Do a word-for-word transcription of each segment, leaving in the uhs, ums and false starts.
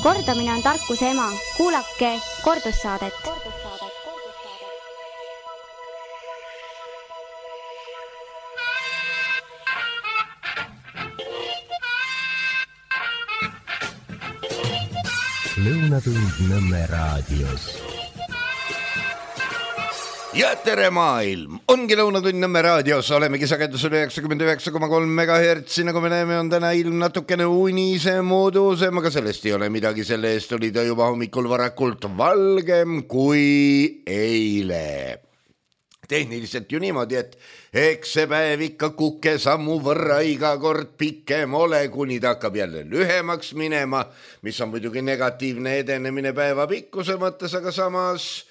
Kordamine on tarkuse ema. Kuulake kordussaadet. Lõunatund Nõmme raadios. Ja tere maailm, ongi Lõunatund Nõmme raadios, olemegi sagedusel üheksakümmend üheksa koma kolm megahertsi, nagu me näeme, on täna ilm natukene unise moodusem, aga sellest ei ole midagi, selle eest oli ta juba hommikul varakult valgem kui eile. Tehniliselt ju niimoodi, et eks see päev ikka kukke sammu võrra iga kord pikem ole, kuni ta hakkab jälle lühemaks minema, mis on muidugi negatiivne edenemine päeva pikkuse mõttes, aga samas,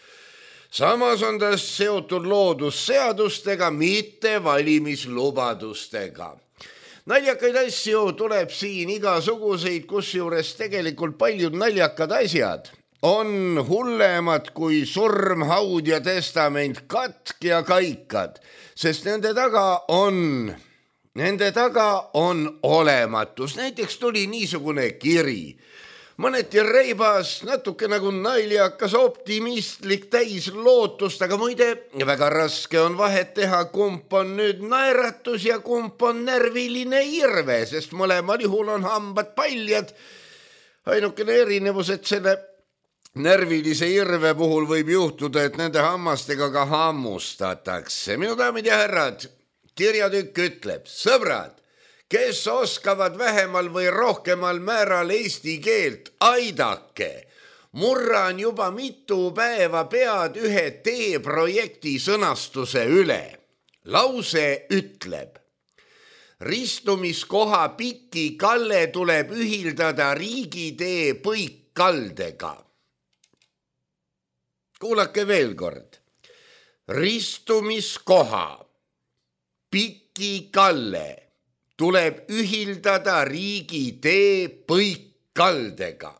samas on ta seotud loodusseadustega, mitte valimislubadustega. Naljakaid asju tuleb siin igasuguseid, kusjuures tegelikult paljud naljakad asjad on hullemad kui surm, haud ja testament, katk ja kaikad, sest nende taga on, nende taga on olematus. Näiteks tuli niisugune kiri, mõneti reibas, natuke nagu naljakas, optimistlik, täis lootust, aga muide, väga raske on vahet teha, kump on nüüd naeratus ja kump on närviline irve, sest mõlemal juhul on hambad paljad. Ainukene erinevus, et selle närvilise irve puhul võib juhtuda, et nende hammastega ka hammustatakse. Minu daamid ja härrad, kirjatükk ütleb, sõbrad, kes oskavad vähemal või rohkemal määral eesti keelt, aidake. Murran juba mitu päeva pead ühe T-projekti sõnastuse üle. Lause ütleb, ristumiskoha Piki Kalle tuleb ühildada riigitee Põikkaldega. Kuulake veel kord. Ristumiskoha Piki Kalle tuleb ühildada riigitee Põikkaldega.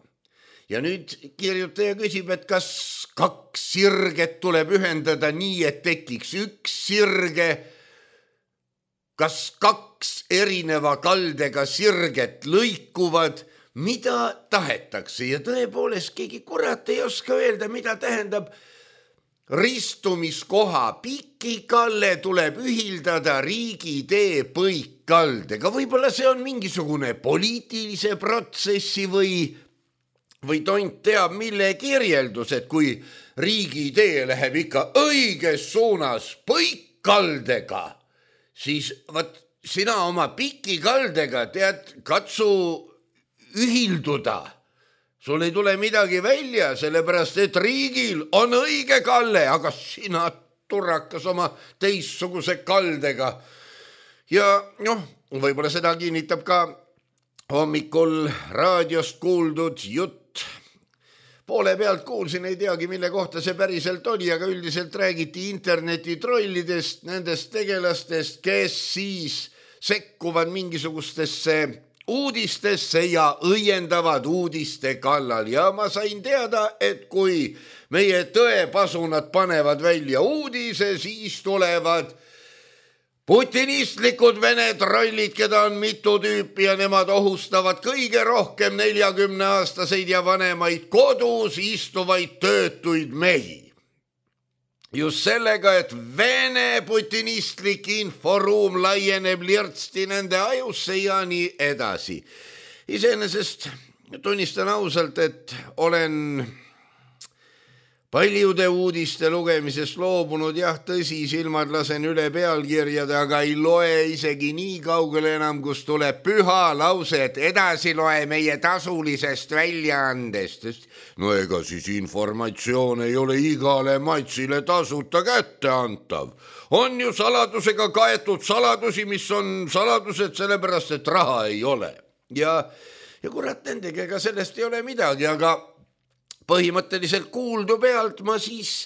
Ja nüüd kirjutaja küsib, et kas kaks sirget tuleb ühendada nii, et tekiks üks sirge, kas kaks erineva kaldega sirget lõikuvad, mida tahetakse, ja tõepoolest keegi kurat ei oska öelda, mida tähendab ristumiskoha Piki Kalle tuleb ühildada riigitee Põikkaldega. Võib-olla see on mingisugune poliitilise protsessi või, või tont teab mille kirjeldus, et kui riigitee läheb ikka õiges suunas Põikkaldega, siis võt, sina oma Piki Kaldega tead, katsu ühilduda. Sul ei tule midagi välja, sellepärast et riigil on õige kalle, aga sina turrakas oma teissuguse kaldega. Ja noh, võib-olla seda kinnitab ka hommikul raadiost kuuldud jutt. Poole pealt kuulsin, ei teagi, mille kohta see päriselt oli, aga üldiselt räägiti internetitrollidest, nendest tegelastest, kes siis sekkuvad mingisugustesse uudistesse ja õiendavad uudiste kallal. Ja ma sain teada, et kui meie tõepasunad panevad välja uudise, siis tulevad putinistlikud vene trollid, keda on mitu tüüpi ja nemad ohustavad kõige rohkem neljakümne aastaseid ja vanemaid kodus istuvaid töötuid mehi. Just sellega, et vene putinistlik inforuum laieneb lirtsti nende ajusse ja nii edasi. Iseenesest tunnistan ausalt, et olen paljude uudiste lugemisest loobunud, jah, tõsi, silmad lasen üle pealkirjade, aga ei loe isegi nii kaugele enam, kus tuleb püha lause, et edasi loe meie tasulisest väljaandest. No ega siis informatsioon ei ole igale matsile tasuta kätte antav. On ju saladusega kaetud saladusi, mis on saladused sellepärast, et raha ei ole. Ja, ja kurat, nendega ega sellest ei ole midagi, aga põhimõtteliselt kuuldu pealt ma siis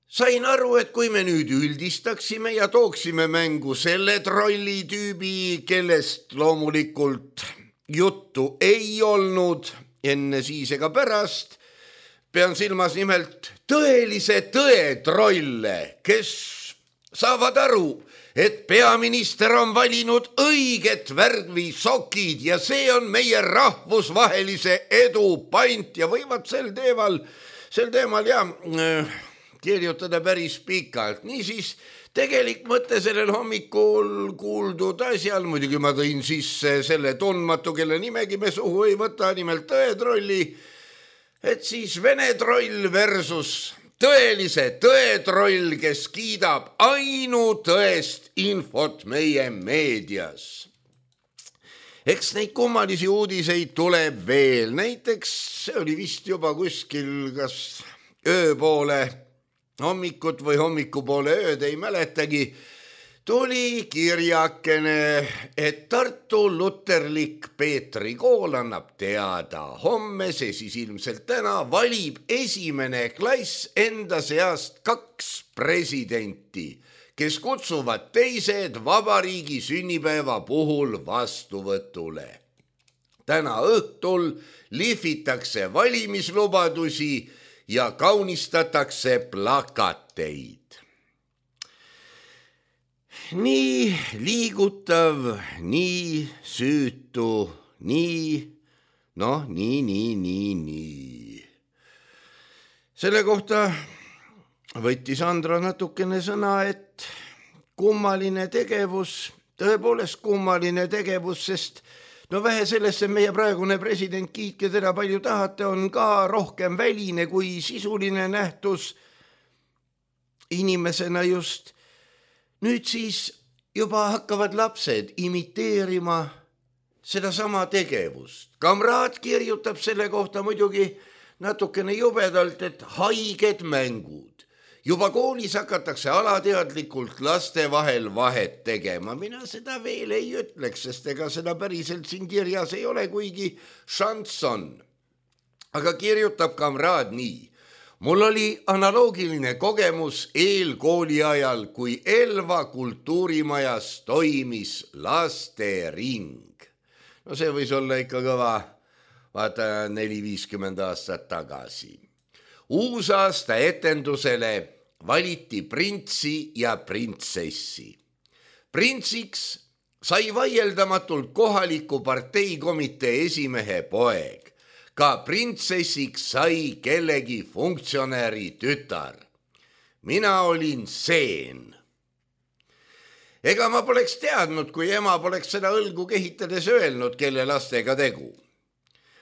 sain aru, et kui me nüüd üldistaksime ja tooksime mängu selle trollitüübi, kellest loomulikult juttu ei olnud enne siis ega pärast, pean silmas nimelt tõelise tõe trolle, kes saavad aru, et peaminister on valinud õiget värvi sokid ja see on meie rahvusvahelise edu pant ja võivad sel teemal, sel teemal ja kirjutada päris pikalt. Niisiis, tegelik mõte sellel hommikul kuuldud asjal, muidugi ma tõin sisse selle tundmatu, kelle nimegi me suhu ei võta, nimelt tõetrolli, et siis Vene troll versus tõelise tõetroll, kes kiidab ainutõest infot meie meedias. Eks neid kummalisi uudiseid tuleb veel, näiteks see oli vist juba kuskil kas ööpoole hommikut või hommikupoole ööd, ei mäletagi, tuli kirjakene, et Tartu luterlik Peetri kool annab teada. Homme, see siis ilmselt täna, valib esimene klass enda seast kaks presidenti, kes kutsuvad teised vabariigi sünnipäeva puhul vastuvõtule. Täna õhtul lihvitakse valimislubadusi ja kaunistatakse plakateid. Nii liigutav, nii süütu, nii, noh, nii, nii, nii, nii. Selle kohta võttis Andra natukene sõna, et kummaline tegevus, tõepoolest kummaline tegevus, sest no vähe sellesse meie praegune president, kiitke teda palju tahate, on ka rohkem väline kui sisuline nähtus inimesena just. Nüüd siis juba hakkavad lapsed imiteerima seda sama tegevust. Kamraad kirjutab selle kohta muidugi natukene jubedalt, et haiged mängud. Juba koolis hakatakse alateadlikult laste vahel vahet tegema. Mina seda veel ei ütleks, sest ega seda päriselt siin kirjas ei ole, kuigi šansson. Aga kirjutab kamraad nii. Mul oli analoogiline kogemus eelkooli ajal, kui Elva kultuurimajas toimis lastering. No see võis olla ikka kõva, vaata neli viiskümmend aastat tagasi. Uusaasta etendusele valiti printsi ja printsessi. Printsiks sai vaieldamatult kohaliku parteikomitee esimehe poeg. Ka printsessiks sai kellegi funktsionääri tütar. Mina olin seen. Ega ma poleks teadnud, kui ema poleks seda õlgu kehitades öelnud, kelle lastega tegu.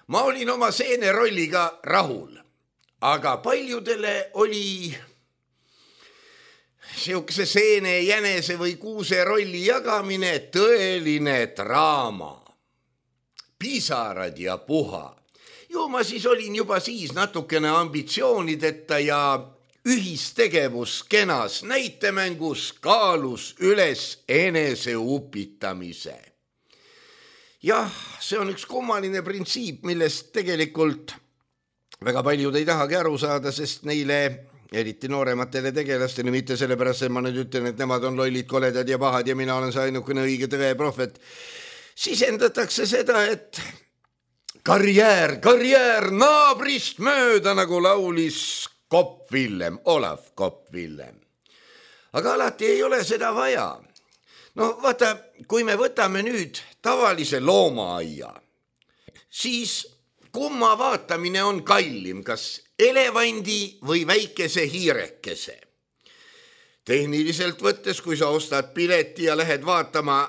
Ma olin oma seene rolliga rahul, aga paljudele oli siukse seene, jänese või kuuse rolli jagamine tõeline draama. Pisarad ja puha. Ju ma siis olin juba siis natukene ambitsioonideta ja ühistegevus kenas näitemängus kaalus üles enese upitamise. Jah, see on üks kummaline printsiip, millest tegelikult väga paljud ei tahagi aru saada, sest neile, eriti noorematele tegelastele, mitte sellepärast, et ma nüüd ütlen, et nemad on lollid, koledad ja pahad ja mina olen see ainukene õige tõe prohvet, sisendatakse seda, et karjäär, karjäär naabrist mööda, nagu laulis Kopp Villem, Olav Kopp Villem. Aga alati ei ole seda vaja. No vaata, kui me võtame nüüd tavalise loomaaia, siis kumma vaatamine on kallim, kas elevandi või väikese hiirekese. Tehniliselt võttes, kui sa ostad pileti ja lähed vaatama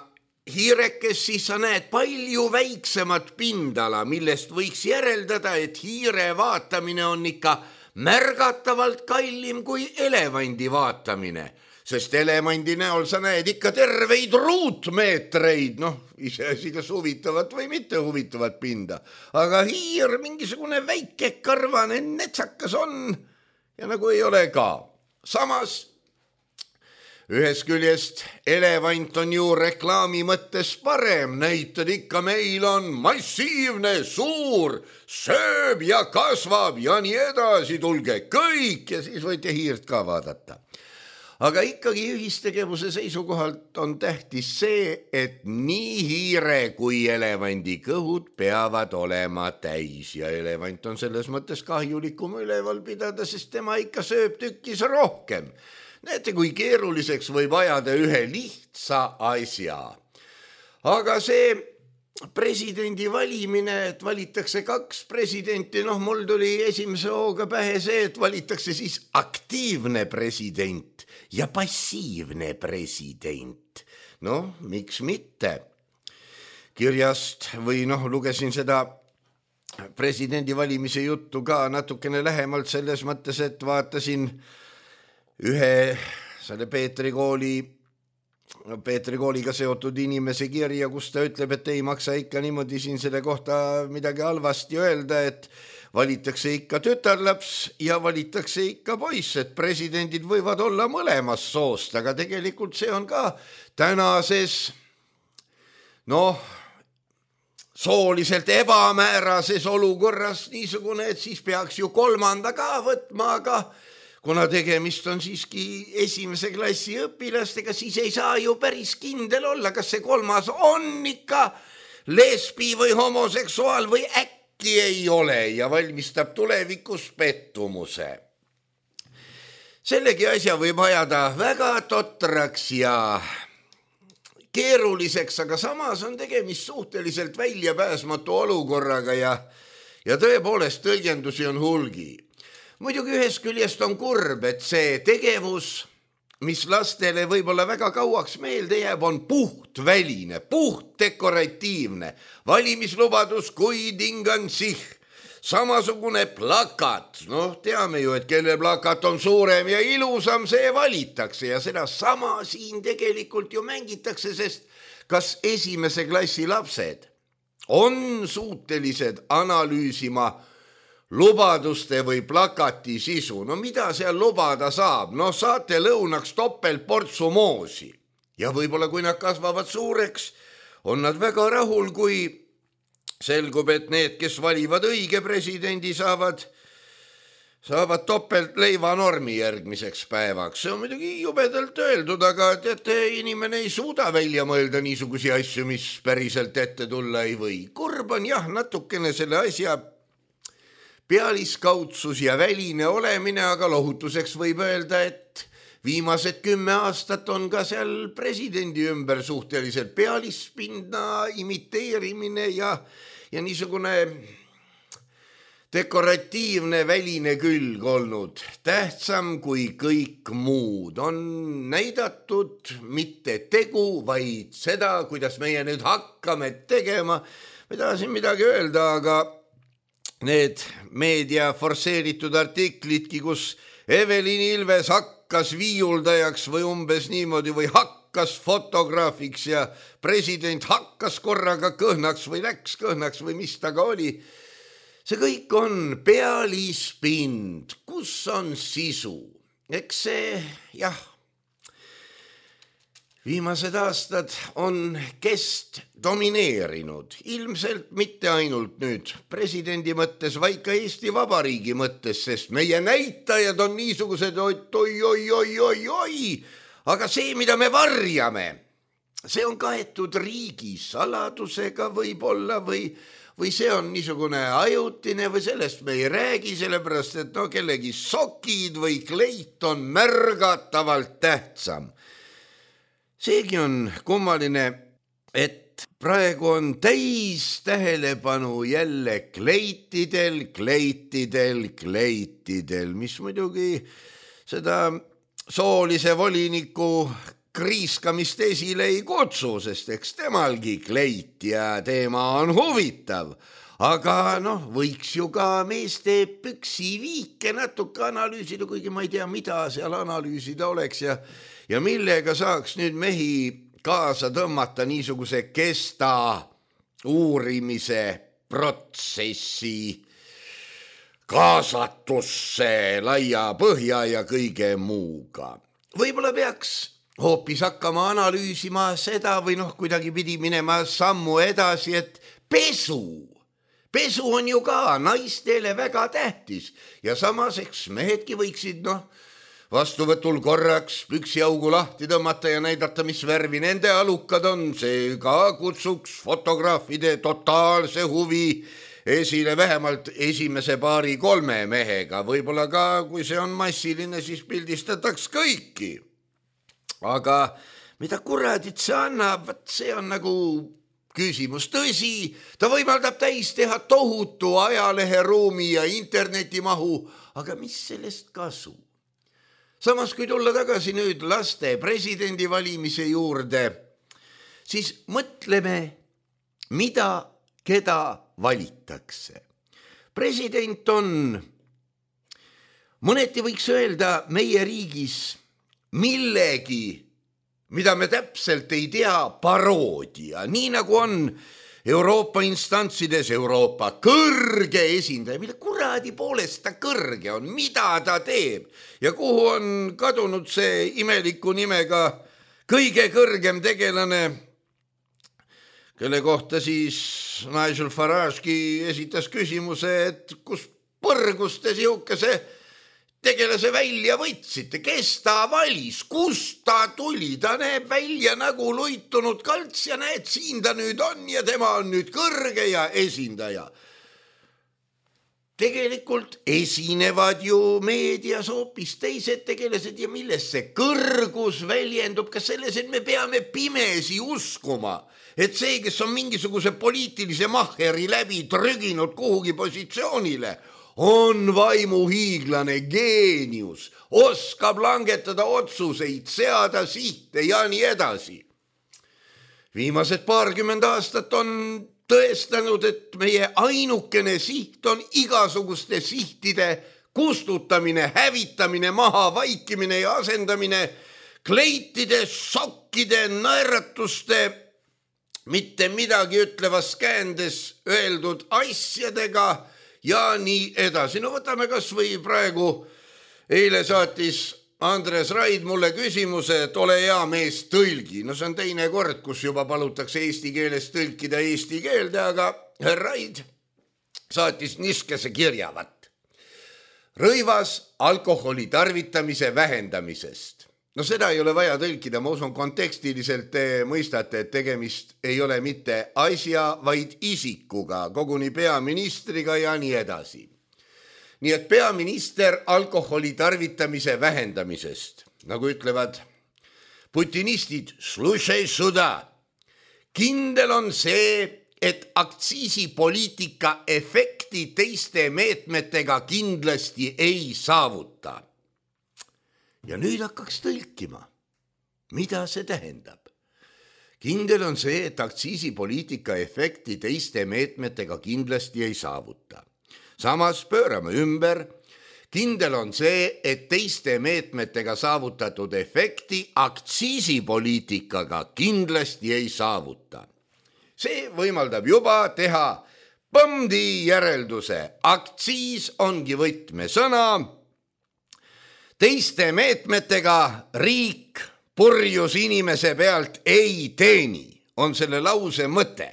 hiirekes, siis sa näed palju väiksemat pindala, millest võiks järeldada, et hiire vaatamine on ikka märgatavalt kallim kui elevandi vaatamine, sest elevandi näol sa näed ikka terveid ruutmeetreid, noh, iseasi kas huvitavat või mitte huvitavat pinda, aga hiir mingisugune väike karvane netsakas on ja nagu ei ole ka. Samas ühes küljest elevant on ju reklaami mõttes parem, näitad ikka meil on massiivne, suur, sööb ja kasvab ja nii edasi, tulge kõik ja siis võite hiirt ka vaadata. Aga ikkagi ühistegevuse seisukohalt on tähtis see, et nii hiire kui elevandi kõhud peavad olema täis ja elevant on selles mõttes kahjulikum üleval pidada, sest tema ikka sööb tükkis rohkem. Näete, kui keeruliseks võib ajada ühe lihtsa asja. Aga see presidendi valimine, et valitakse kaks presidenti, noh, mul tuli esimese hooga pähe see, et valitakse siis aktiivne president ja passiivne president. Noh, miks mitte? Kirjast või noh, lugesin seda presidendi valimise juttu ka natukene lähemalt selles mõttes, et vaatasin ühe selle Peetri kooli, Peetri kooliga seotud inimese kirja, kus ta ütleb, et ei maksa ikka niimoodi siin selle kohta midagi halvasti öelda, et valitakse ikka tütarlaps ja valitakse ikka poiss, et presidendid võivad olla mõlemas soost, aga tegelikult see on ka tänases, noh, sooliselt ebamäärases olukorras niisugune, et siis peaks ju kolmanda ka võtma, aga kuna tegemist on siiski esimese klassi õpilastega, siis ei saa ju päris kindel olla, kas see kolmas on ikka lesbi või homoseksuaal või äkki ei ole ja valmistab tulevikus pettumuse. Sellegi asja võib ajada väga totraks ja keeruliseks, aga samas on tegemist suhteliselt väljapääsmatu olukorraga ja, ja tõepoolest tõlgendusi on hulgi. Muidugi ühest küljest on kurb, et see tegevus, mis lastele võib-olla väga kauaks meelde jääb, on puht väline, puht dekoratiivne. Valimislubadus kui tingan sih, samasugune plakat. Noh, teame ju, et kelle plakat on suurem ja ilusam, see valitakse ja seda sama siin tegelikult ju mängitakse, sest kas esimese klassi lapsed on suutelised analüüsima lubaduste või plakati sisu. No mida seal lubada saab? No saate lõunaks topeltportsu moosi. Ja võib-olla kui nad kasvavad suureks, on nad väga rahul, kui selgub, et need, kes valivad õige presidendi, saavad, saavad topelt leivanormi järgmiseks päevaks. See on muidugi jubedalt öeldud, aga teate, inimene ei suuda välja mõelda niisugusi asju, mis päriselt ette tulla ei või. Kurb on jah, natukene selle asja pealiskaudsus ja väline olemine, aga lohutuseks võib öelda, et viimased kümme aastat on ka seal presidendi ümber suhteliselt pealispinna imiteerimine ja, ja niisugune dekoratiivne väline külg olnud. Tähtsam kui kõik muud on näidatud mitte tegu, vaid seda, kuidas meie nüüd hakkame tegema. Ma tahasin midagi öelda, aga need meedia forseeritud artiklidki, kus Evelin Ilves hakkas viiuldajaks või umbes niimoodi või hakkas fotograafiks ja president hakkas korraga kõhnaks või läks kõhnaks või mis ta ka oli. See kõik on pealispind, kus on sisu. Eks see, jah, viimased aastad on kest domineerinud, ilmselt mitte ainult nüüd presidendi mõttes, vaid ka Eesti Vabariigi mõttes, sest meie näitajad on niisugused, oi, oi, oi, oi, oi, aga see, mida me varjame, see on kaetud riigi saladusega võib-olla või, või see on niisugune ajutine või sellest me ei räägi, sellepärast et no kellegi sokid või kleit on märgatavalt tähtsam. Seegi on kummaline, et praegu on täis tähelepanu jälle kleitidel, kleitidel, kleitidel, mis muidugi seda soolise voliniku kriiskamist esile ei kutsu, sest eks temalgi kleit ja teema on huvitav. Aga noh, võiks ju ka meeste püksiviike natuke analüüsida, kuigi ma ei tea, mida seal analüüsida oleks ja Ja millega saaks nüüd mehi kaasa tõmmata niisuguse kesta uurimise protsessi kaasatusse laia põhja ja kõige muuga. Võib-olla peaks hoopis hakkama analüüsima seda või noh, kuidagi pidi minema sammu edasi, et pesu. Pesu on ju ka naistele väga tähtis ja samas eks mehedki võiksid noh, vastuvõtul korraks püksiaugu lahti tõmmata ja näidata, mis värvi nende alukad on. See ka kutsuks fotograafide totaalse huvi esile vähemalt esimese paari kolme mehega, võib-olla ka, kui see on massiline, siis pildistataks kõiki. Aga mida kuradit see annab, see on nagu küsimus. Tõsi, ta võimaldab täis teha tohutu ajaleheruumi ja internetimahu, aga mis sellest kasu? Samas, kui tulla tagasi nüüd laste presidendi valimise juurde, siis mõtleme, mida, keda valitakse. President on, mõneti võiks öelda meie riigis millegi, mida me täpselt ei tea, paroodia, nii nagu on Euroopa instantsides Euroopa kõrge esindaja, mille kuradi poolest ta kõrge on, mida ta teeb ja kuhu on kadunud see imeliku nimega kõige kõrgem tegelane, kelle kohta siis Nigel Farage'ki esitas küsimuse, et kus põrgus te sihukese tegelase välja võtsite, kes ta valis, kust ta tuli, ta näeb välja nagu luitunud kalts ja näed, siin ta nüüd on ja tema on nüüd kõrge ja esindaja. Tegelikult esinevad ju meedias hoopis teised tegelased ja milles see kõrgus väljendub, kas selles, et me peame pimesi uskuma, et see, kes on mingisuguse poliitilise mahheri läbi trüginud kuhugi positsioonile, on vaimuhiiglane, geenius, oskab langetada otsuseid, seada sihte ja nii edasi. Viimased paarkümmend aastat on tõestanud, et meie ainukene siht on igasuguste sihtide kustutamine, hävitamine, maha vaikimine ja asendamine kleitide, sokkide, naeratuste, mitte midagi ütlevas käändes öeldud asjadega ja nii edasi. No võtame kas või praegu, eile saatis Andres Raid mulle küsimuse, et ole hea mees, tõlgi. No see on teine kord, kus juba palutakse eesti keeles tõlkida eesti keelde, aga Raid saatis niskese kirjavat. Rõivas alkoholi tarvitamise vähendamisest. No seda ei ole vaja tõlkida, ma usun kontekstiliselt te mõistate, et tegemist ei ole mitte asja, vaid isikuga, koguni peaministriga ja nii edasi. Nii et peaminister alkoholi tarvitamise vähendamisest, nagu ütlevad putinistid, slušaj suda. Kindel on see, et aktsiisipoliitika efekti teiste meetmetega kindlasti ei saavuta. Ja nüüd hakkaks tõlkima. Mida see tähendab? Kindel on see, et aktsiisipoliitika efekti teiste meetmetega kindlasti ei saavuta. Samas pöörame ümber. Kindel on see, et teiste meetmetega saavutatud efekti aktsiisipoliitikaga kindlasti ei saavuta. See võimaldab juba teha põmdi järelduse. Aktsiis ongi võtmesõna. Teiste meetmetega riik purjus inimese pealt ei teeni, on selle lause mõte.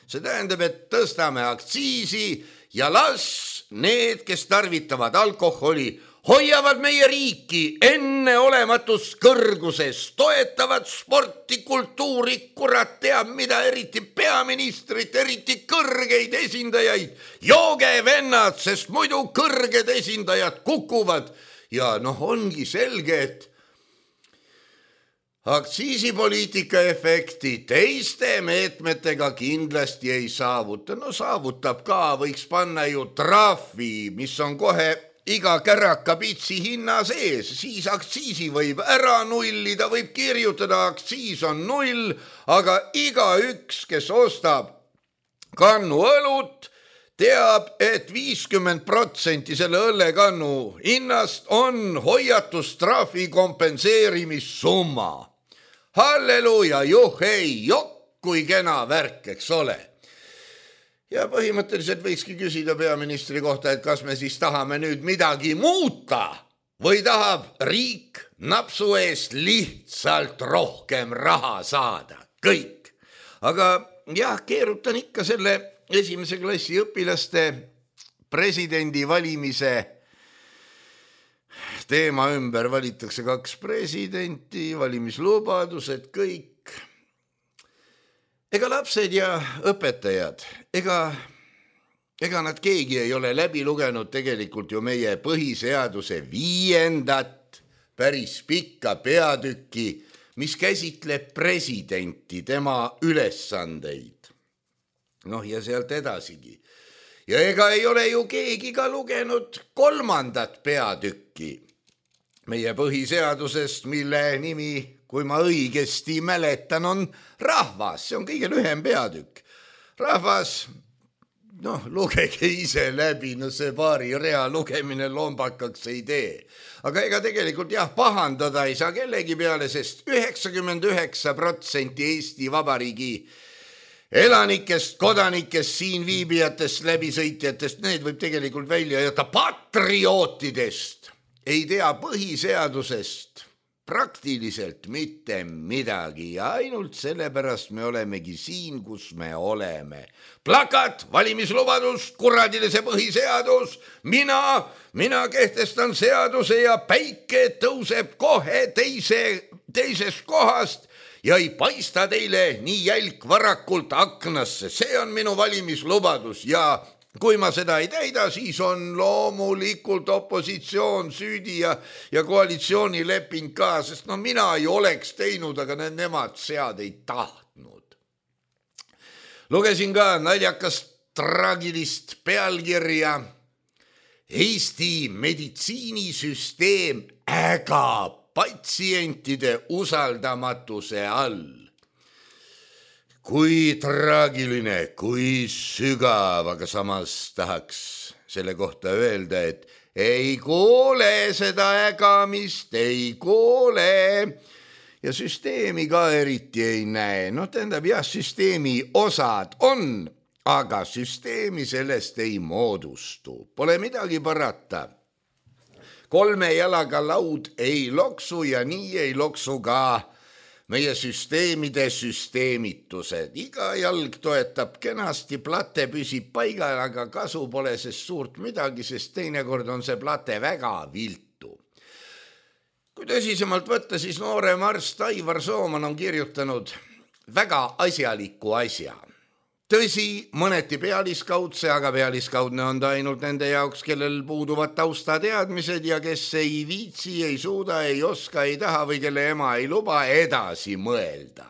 See tähendab, et tõstame aktsiisi ja las need, kes tarvitavad alkoholi, hoiavad meie riiki enneolematus kõrguses, toetavad sporti, kultuuri, kurat teab mida, eriti peaministrit, eriti kõrgeid esindajaid. Jooge vennad, sest muidu kõrged esindajad kukuvad. Ja noh, ongi selge, et aktsiisipoliitika efekti teiste meetmetega kindlasti ei saavuta. No saavutab ka, võiks panna ju trahvi, mis on kohe iga käraka pitsi hinna sees. Siis aktsiisi võib ära nullida, võib kirjutada, aktsiis on null, aga iga üks, kes ostab kannu õlut, teab, et viiskümmend protsenti selle õllekannu hinnast on hoiatustrahvi kompenseerimissumma. Halleluja, juhei, jokk, kui kena värk, eks ole. Ja põhimõtteliselt võikski küsida peaministri kohta, et kas me siis tahame nüüd midagi muuta või tahab riik napsu eest lihtsalt rohkem raha saada. Kõik. Aga jah, keerutan ikka selle esimese klassi õpilaste presidendi valimise teema ümber. Valitakse kaks presidenti, valimislubadused, kõik. Ega lapsed ja õpetajad, ega ega nad keegi ei ole läbi lugenud tegelikult ju meie põhiseaduse viiendat päris pikka peatükki, mis käsitleb presidenti, tema ülesandeid. Noh, ja sealt edasigi. Ja ega ei ole ju keegi ka lugenud kolmandat peatükki meie põhiseadusest, mille nimi, kui ma õigesti mäletan, on rahvas. See on kõige lühem peatükk. Rahvas, noh, lugege ise läbi, no see paari rea lugemine lombakaks ei tee. Aga ega tegelikult jah, pahandada ei saa kellegi peale, sest üheksakümmend üheksa protsenti Eesti Vabariigi elanikest, kodanikest, siin viibijatest, läbisõitjatest, need võib tegelikult välja jätta, patriootidest ei tea põhiseadusest praktiliselt mitte midagi ja ainult sellepärast me olemegi siin, kus me oleme. Plakat, valimislubadus, kuradilise põhiseadus, mina, mina kehtestan seaduse ja päike tõuseb kohe teise, teisest kohast ja ei paista teile nii jälk varakult aknasse. See on minu valimislubadus ja kui ma seda ei täida, siis on loomulikult opositsioon süüdi ja, ja koalitsioonileping ka, sest no mina ei oleks teinud, aga need nemad sead ei tahtnud. Lugesin ka naljakast traagilist pealkirja. Eesti meditsiinisüsteem ägab patsientide usaldamatuse all. Kui traagiline, kui sügav, aga samas tahaks selle kohta öelda, et ei kuule seda ägamist, ei kuule. Ja süsteemi ka eriti ei näe. No tähendab jah, süsteemi osad on, aga süsteemi sellest ei moodustu. Pole midagi parata. Kolme jalaga laud ei loksu ja nii ei loksu ka meie süsteemide süsteemitused. Iga jalg toetab kenasti, plate püsib paigal, aga kasu pole sest suurt midagi, sest teinekord on see plate väga viltu. Kui tõsisemalt võtta, siis noorem arst Aivar Sooman on kirjutanud väga asjaliku asja. Tõsi, mõneti pealiskaudse, aga pealiskaudne on ta ainult nende jaoks, kellel puuduvad taustateadmised ja kes ei viitsi, ei suuda, ei oska, ei taha või kelle ema ei luba edasi mõelda.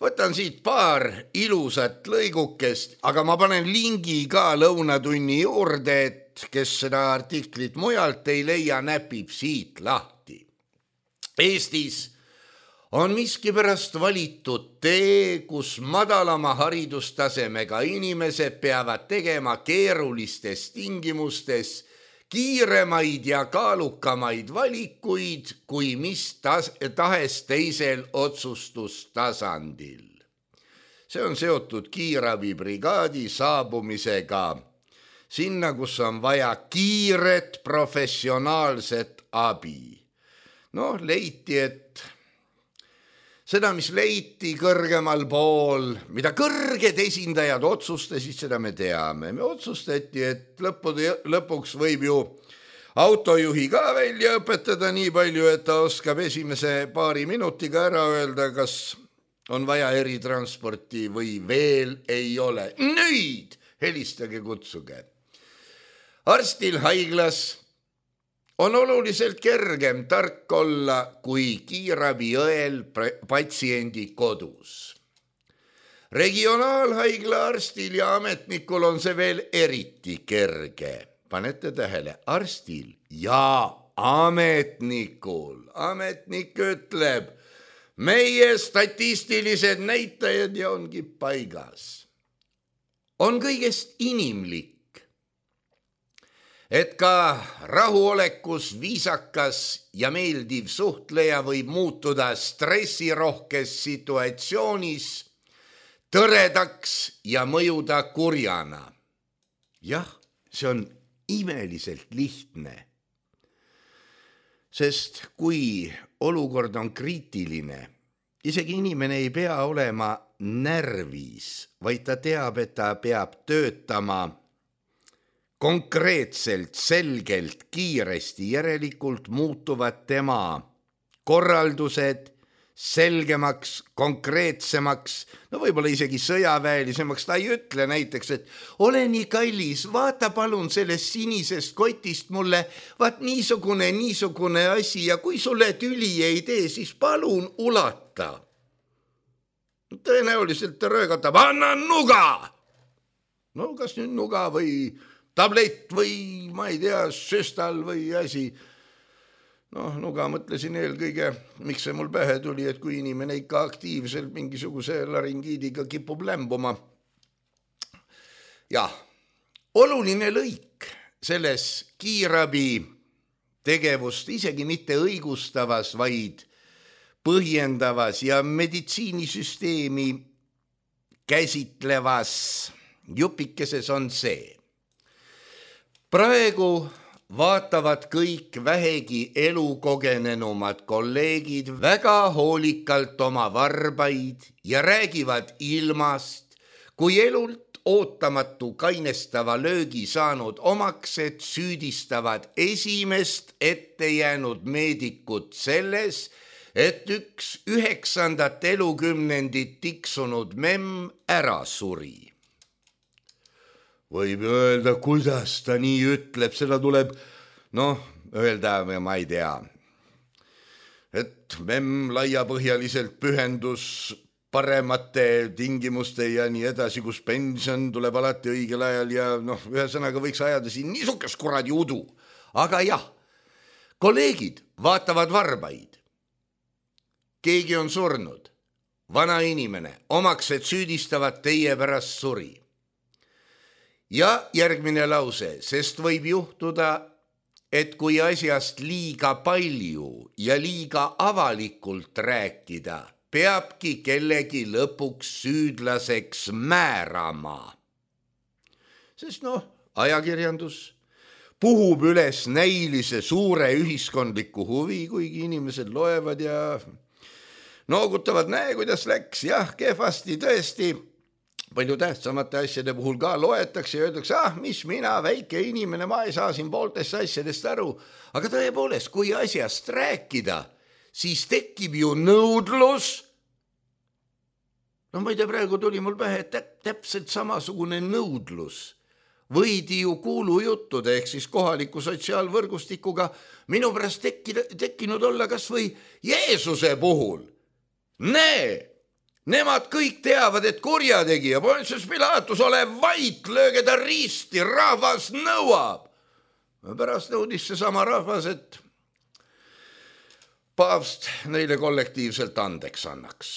Võtan siit paar ilusat lõigukest, aga ma panen lingi ka lõunatunni juurde, et kes seda artiklit mujalt ei leia, näpib siit lahti. Eestis on miskipärast valitud tee, kus madalama haridustasemega inimesed peavad tegema keerulistes tingimustes kiiremaid ja kaalukamaid valikuid kui mis tas- tahes teisel otsustustasandil. See on seotud kiirabibrigaadi saabumisega sinna, kus on vaja kiiret professionaalset abi. No, leiti, et seda, mis leiti kõrgemal pool, mida kõrged esindajad otsustasid, seda me teame. Me otsustati, et lõppude, lõpuks võib ju autojuhi ka välja õpetada nii palju, et ta oskab esimese paari minutiga ära öelda, kas on vaja eritransporti või veel ei ole. Nüüd helistage, kutsuge. Arstil haiglas on oluliselt kergem tark olla kui kiirabiõel patsiendi kodus. Regionaalhaigla arstil ja ametnikul on see veel eriti kerge. Panete tähele, arstil ja ametnikul. Ametnik ütleb, meie statistilised näitajad ja ongi paigas. On kõigest inimlik, et ka rahuolekus viisakas ja meeldiv suhtleja võib muutuda stressirohkes situatsioonis tõredaks ja mõjuda kurjana. Jah, see on imeliselt lihtne. Sest kui olukord on kriitiline, isegi inimene ei pea olema närvis, vaid ta teab, et ta peab töötama konkreetselt, selgelt, kiiresti, järelikult muutuvad tema korraldused, selgemaks, konkreetsemaks, no võib-olla isegi sõjaväelisemaks. Ta ei ütle näiteks, et ole nii kallis, vaata palun sellest sinisest kotist mulle, vaat niisugune, niisugune asi ja kui sulle tüli ei tee, siis palun ulata. Tõenäoliselt ta röögatab, anna nuga! No kas nüüd nuga või tablett või ma ei tea, süstal või asi. Noh, nuga mõtlesin eelkõige, miks see mul pähe tuli, et kui inimene ikka aktiivselt mingisuguse laringiidiga kipub lämbuma. Jah, oluline lõik selles kiirabi tegevust isegi mitte õigustavas, vaid põhjendavas ja meditsiinisüsteemi käsitlevas jupikeses on see. Praegu vaatavad kõik vähegi elukogenenumad kolleegid väga hoolikalt oma varbaid ja räägivad ilmast, kui elult ootamatu kainestava löögi saanud omaksed süüdistavad esimest ette jäänud meedikut selles, et üks üheksandat elukümnendit tiksunud memm ära suri. Võib öelda, kuidas ta nii ütleb, seda tuleb, noh, öelda, ma ei tea, et memm laiapõhjaliselt pühendus paremate tingimuste ja nii edasi, kus pension tuleb alati õigel ajal ja noh, ühesõnaga võiks ajada siin niisugust kuradi udu. Aga jah, kolleegid vaatavad varbaid. Keegi on surnud, vana inimene, omaksed süüdistavad teie pärast suri. Ja järgmine lause, sest võib juhtuda, et kui asjast liiga palju ja liiga avalikult rääkida, peabki kellegi lõpuks süüdlaseks määrama. Sest noh, ajakirjandus puhub üles näilise suure ühiskondliku huvi, kuigi inimesed loevad ja noogutavad, näe, kuidas läks, jah, kehvasti tõesti. Palju tähtsamate asjade puhul ka loetakse ja öeldakse, ah, mis mina, väike inimene, ma ei saa siin pooltest asjadest aru. Aga tõepoolest, kui asjast rääkida, siis tekib ju nõudlus. No ma ei tea, praegu tuli mul pähe täp- täpselt samasugune nõudlus. Võidi ju kuulujuttude ehk siis kohaliku sotsiaalvõrgustikuga minu pärast tekkida, tekkinud olla kas või Jeesuse puhul. Näe! Nemad kõik teavad, et kurjategija, Pontius Pilatus, ole vait, lööge ta risti, rahvas nõuab. Pärast nõudis see sama rahvas, et paavst neile kollektiivselt andeks annaks.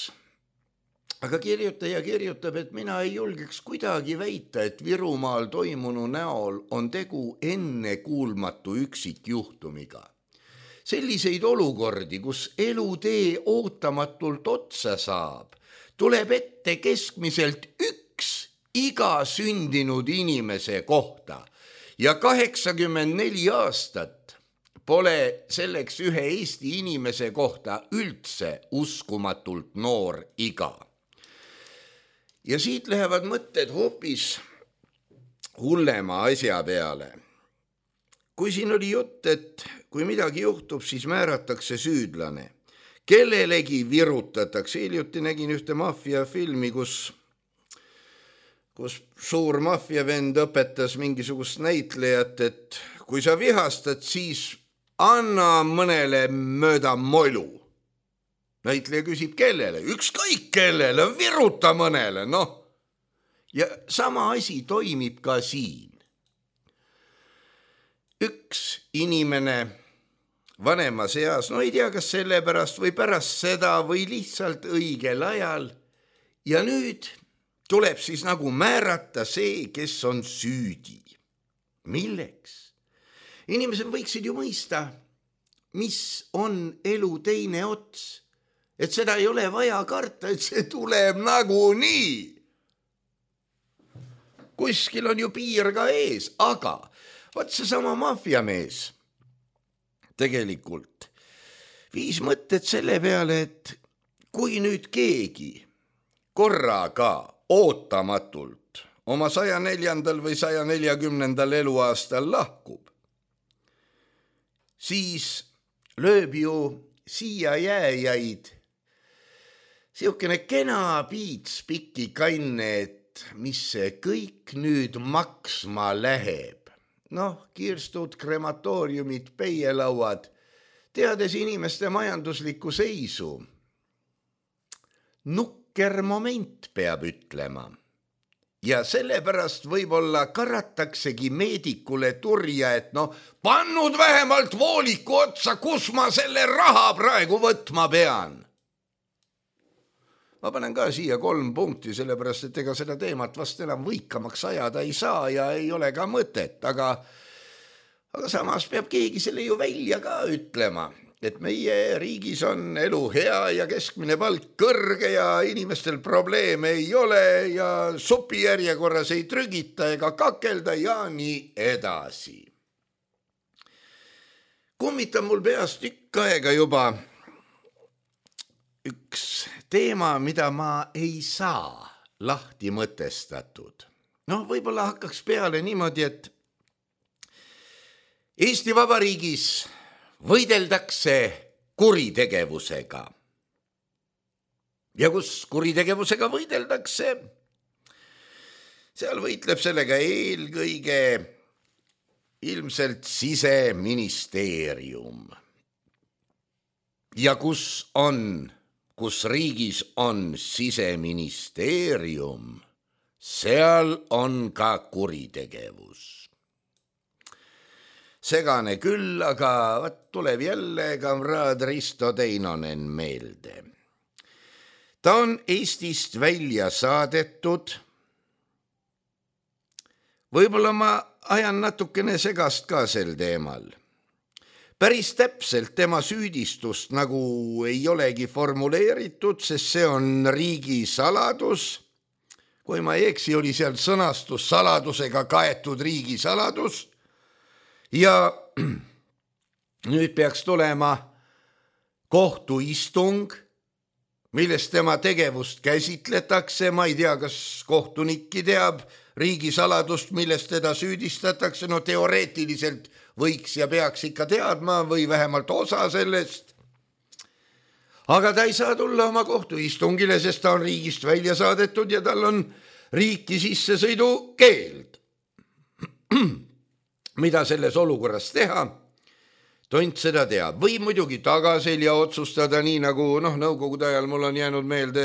Aga kirjutaja kirjutab, et mina ei julgeks kuidagi väita, et Virumaal toimunu näol on tegu ennekuulmatu üksikjuhtumiga. Selliseid olukordi, kus elutee ootamatult otsa saab, tuleb ette keskmiselt üks iga sündinud inimese kohta ja kaheksakümmend neli aastat pole selleks ühe Eesti inimese kohta üldse uskumatult noor iga. Ja siit lähevad mõtted hoopis hullema asja peale. Kui siin oli jutt, et kui midagi juhtub, siis määratakse süüdlane. Kellelegi virutatakse. Hiljuti nägin ühte maffiafilmi, kus, kus suur maffiavend õpetas mingisugust näitlejat, et kui sa vihastad, siis anna mõnele mööda molu. Näitleja küsib, kellele? Ükskõik kellele, viruta mõnele, noh. Ja sama asi toimib ka siin. Üks inimene vanemas eas, no ei tea, kas selle pärast või pärast seda või lihtsalt õigel ajal. Ja nüüd tuleb siis nagu määrata see, kes on süüdi. Milleks? Inimesed võiksid ju mõista, mis on elu teine ots. Et seda ei ole vaja karta, et see tuleb nagu nii. Kuskil on ju piir ka ees, aga vaat see sama maffiamees tegelikult viis mõtted selle peale, et kui nüüd keegi korraga ootamatult oma saja neljandal või saja neljakümnendal eluaastal lahkub, siis lööb ju siia jääjaid Siukene kena piits pikki kanne, et mis see kõik nüüd maksma läheb. Noh, kiirstud, krematooriumid, peielauad, teades inimeste majanduslikku seisu. Nukker moment peab ütlema. Ja sellepärast võib-olla karataksegi meedikule turja, et no pannud vähemalt vooliku otsa, kus ma selle raha praegu võtma pean. Ma panen ka siia kolm punkti, sellepärast, et ega seda teemat vast enam võikamaks ajada ei saa ja ei ole ka mõtet, aga, aga samas peab keegi selle ju välja ka ütlema, et meie riigis on elu hea ja keskmine palk kõrge ja inimestel probleeme ei ole ja supijärjekorras ei trügita ega kakelda ja nii edasi. Kummitan mul peas tükk aega juba üks teema, mida ma ei saa lahti mõtestatud. No võib-olla hakkaks peale niimoodi, et Eesti Vabariigis võideldakse kuritegevusega. Ja kus kuritegevusega võideldakse, seal võitleb sellega eelkõige ilmselt Siseministeerium. Ja kus on, kus riigis on Siseministeerium, seal on ka kuritegevus. Segane küll, aga võt tuleb jälle kamraad Risto Teinonen meelde. Ta on Eestist välja saadetud. Võib-olla ma ajan natukene segast ka sel teemal. Päris täpselt tema süüdistust nagu ei olegi formuleeritud, sest see on riigi saladus. Kui ma ei eksi, oli seal sõnastus saladusega kaetud riigi saladus. Ja nüüd peaks tulema kohtuistung, millest tema tegevust käsitletakse. Ma ei tea, kas kohtunikki teab riigisaladust, millest teda süüdistatakse. No teoreetiliselt võiks ja peaks ikka teadma või vähemalt osa sellest. Aga ta ei saa tulla oma kohtuistungile, sest ta on riigist välja saadetud ja tal on riiki sissesõidu keeld. Mida selles olukorras teha? Tont seda teab. Või muidugi tagaselja otsustada, nii nagu noh, nõukogude ajal mul on jäänud meelde,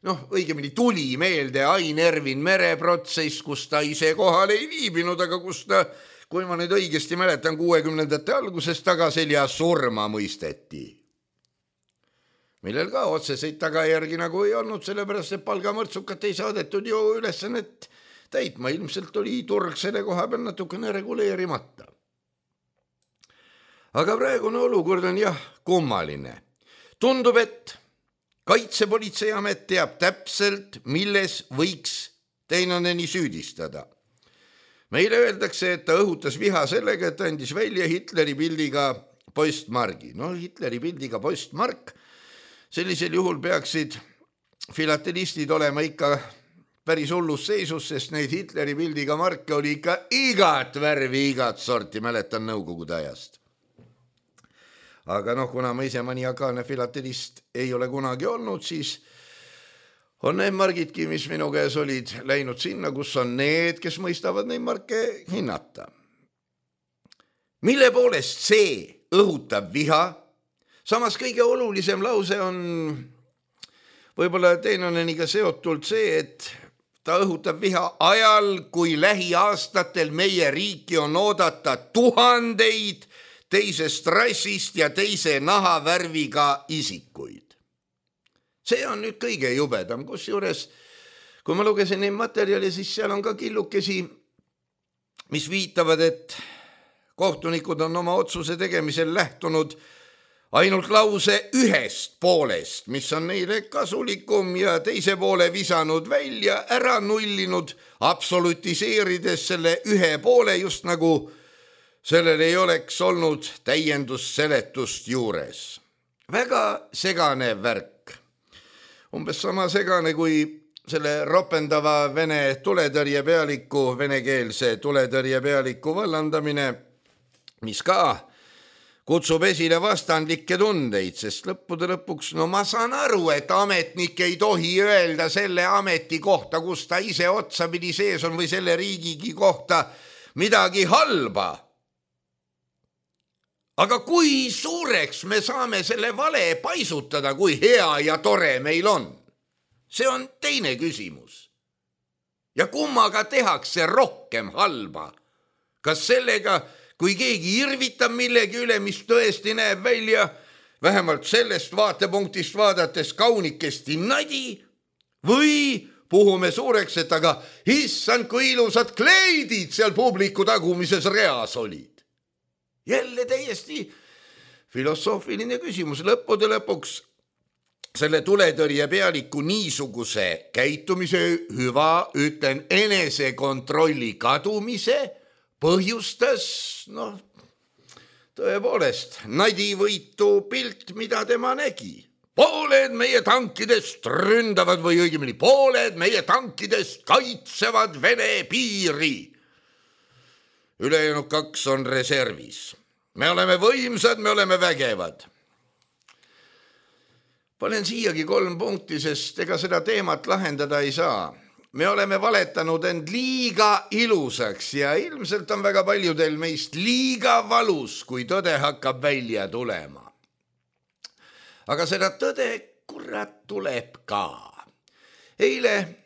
noh, õigemini tuli meelde Ain Ervin mereprotsess, kus ta ise kohal ei viibinud, aga kus ta, kui ma nüüd õigesti mäletan, kuuekümnendate alguses tagaselja surma mõisteti. Millel ka otseseid tagajärgi nagu ei olnud, sellepärast et palgamõrtsukat ei saadetud ju ülesannet täitma. Ilmselt oli turg selle koha peal natukene reguleerimata. Aga praegune olukord on jah kummaline. Tundub, et Kaitsepolitseiamet teab täpselt, milles võiks Teinoneni süüdistada. Meile öeldakse, et ta õhutas viha sellega, et andis välja Hitleri pildiga postmargi. No Hitleri pildiga postmark, sellisel juhul peaksid filatelistid olema ikka päris hullus seisus, sest neid Hitleri pildiga marke oli ikka igat värvi, igat sorti, mäletan nõukogude ajast. Aga noh, kuna ma ise maniakaalne filatelist ei ole kunagi olnud, siis on need margidki, mis minu käes olid, läinud sinna, kus on need, kes mõistavad neid marke hinnata. Mille poolest see õhutab viha? Samas kõige olulisem lause on võib-olla Teinoneniga seotult see, et ta õhutab viha ajal, kui lähiaastatel meie riiki on oodata tuhandeid teisest rassist ja teise nahavärviga isikuid. See on nüüd kõige jubedam, kus juures, kui ma lugesin neid materjali, siis seal on ka killukesi, mis viitavad, et kohtunikud on oma otsuse tegemisel lähtunud ainult lause ühest poolest, mis on neile kasulikum ja teise poole visanud välja, ära nullinud, absolutiseerides selle ühe poole, just nagu sellel ei oleks olnud täiendusseletust juures. Väga segane värk. Umbes sama segane kui selle ropendava vene tuletõrjepealiku, venekeelse tuletõrjepealiku vallandamine, mis ka kutsub esile vastandlikke tundeid, sest lõppude lõpuks, no ma saan aru, et ametnik ei tohi öelda selle ameti kohta, kus ta ise otsapidi sees on või selle riigigi kohta midagi halba. Aga kui suureks me saame selle vale paisutada, kui hea ja tore meil on? See on teine küsimus. Ja kummaga tehakse rohkem halba? Kas sellega, kui keegi irvitab millegi üle, mis tõesti näeb välja, vähemalt sellest vaatepunktist vaadates kaunikesti nadi, või puhume suureks, et aga issand, kui ilusad kleidid seal publiku tagumises reas olid. Jälle täiesti filosoofiline küsimus. Lõppude lõpuks selle tuletõrje pealiku niisuguse käitumise hüva, ütlen, enesekontrolli kadumise põhjustas, noh, tõepoolest, nadivõitu pilt, mida tema nägi. Pooled meie tankidest ründavad või õigemini pooled meie tankidest kaitsevad Vene piiri. Ülejäänud kaks on reservis. Me oleme võimsad, me oleme vägevad. Panen siiagi kolm punkti, sest ega seda teemat lahendada ei saa. Me oleme valetanud end liiga ilusaks ja ilmselt on väga paljudel meist liiga valus, kui tõde hakkab välja tulema. Aga seda tõde kurat tuleb ka. Eile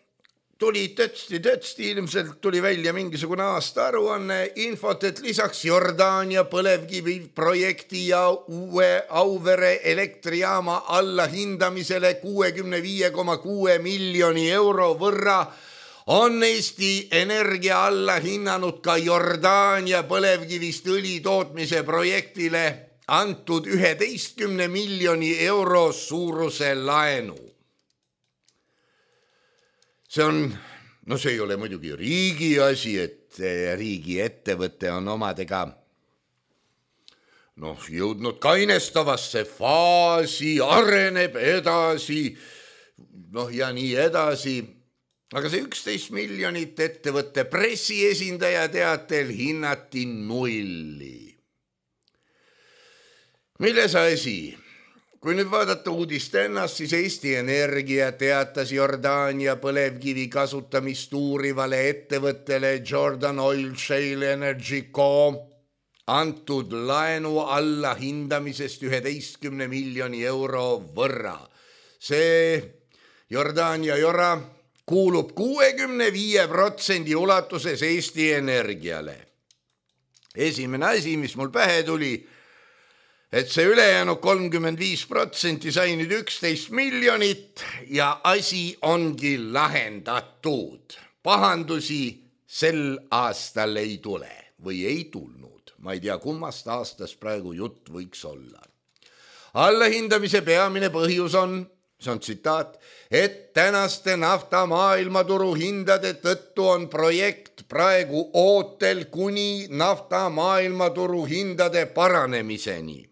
tuli tõtsti-tõtsti, ilmselt tuli välja mingisugune aasta aruanne, infot, et lisaks Jordaania põlevkivi projekti ja uue Auvere elektrijaama allahindamisele kuuekümne viie koma kuue miljoni euro võrra on Eesti Energia alla hinnanud ka Jordaania põlevkivist õli tootmise projektile antud üheteistkümne miljoni euro suuruse laenu. See on, no see ei ole muidugi riigi asi, et riigi ettevõte on omadega noh, jõudnud kainestavasse faasi, areneb edasi, noh ja nii edasi. Aga see üksteist miljonit ettevõtte pressiesindaja teatel hinnati nulli. Milles asi? Kui nüüd vaadata uudist ennast, siis Eesti Energia teatas Jordaania põlevkivi kasutamist uurivale ettevõttele Jordan Oil Shale Energy Co. antud laenu alla hindamisest üheteistkümne miljoni euro võrra. See Jordaania Jora kuulub kuuekümne viie protsendi ulatuses Eesti Energiale. Esimene asi, mis mul pähe tuli, et see ülejäänud kolmkümmend viis protsenti sai nüüd üksteist miljonit ja asi ongi lahendatud. Pahandusi sel aastal ei tule või ei tulnud. Ma ei tea, kummast aastast praegu jutt võiks olla. Allahindamise peamine põhjus on, see on tsitaat, et tänaste nafta maailmaturu hindade tõttu on projekt praegu ootel kuni nafta maailmaturu hindade paranemiseni.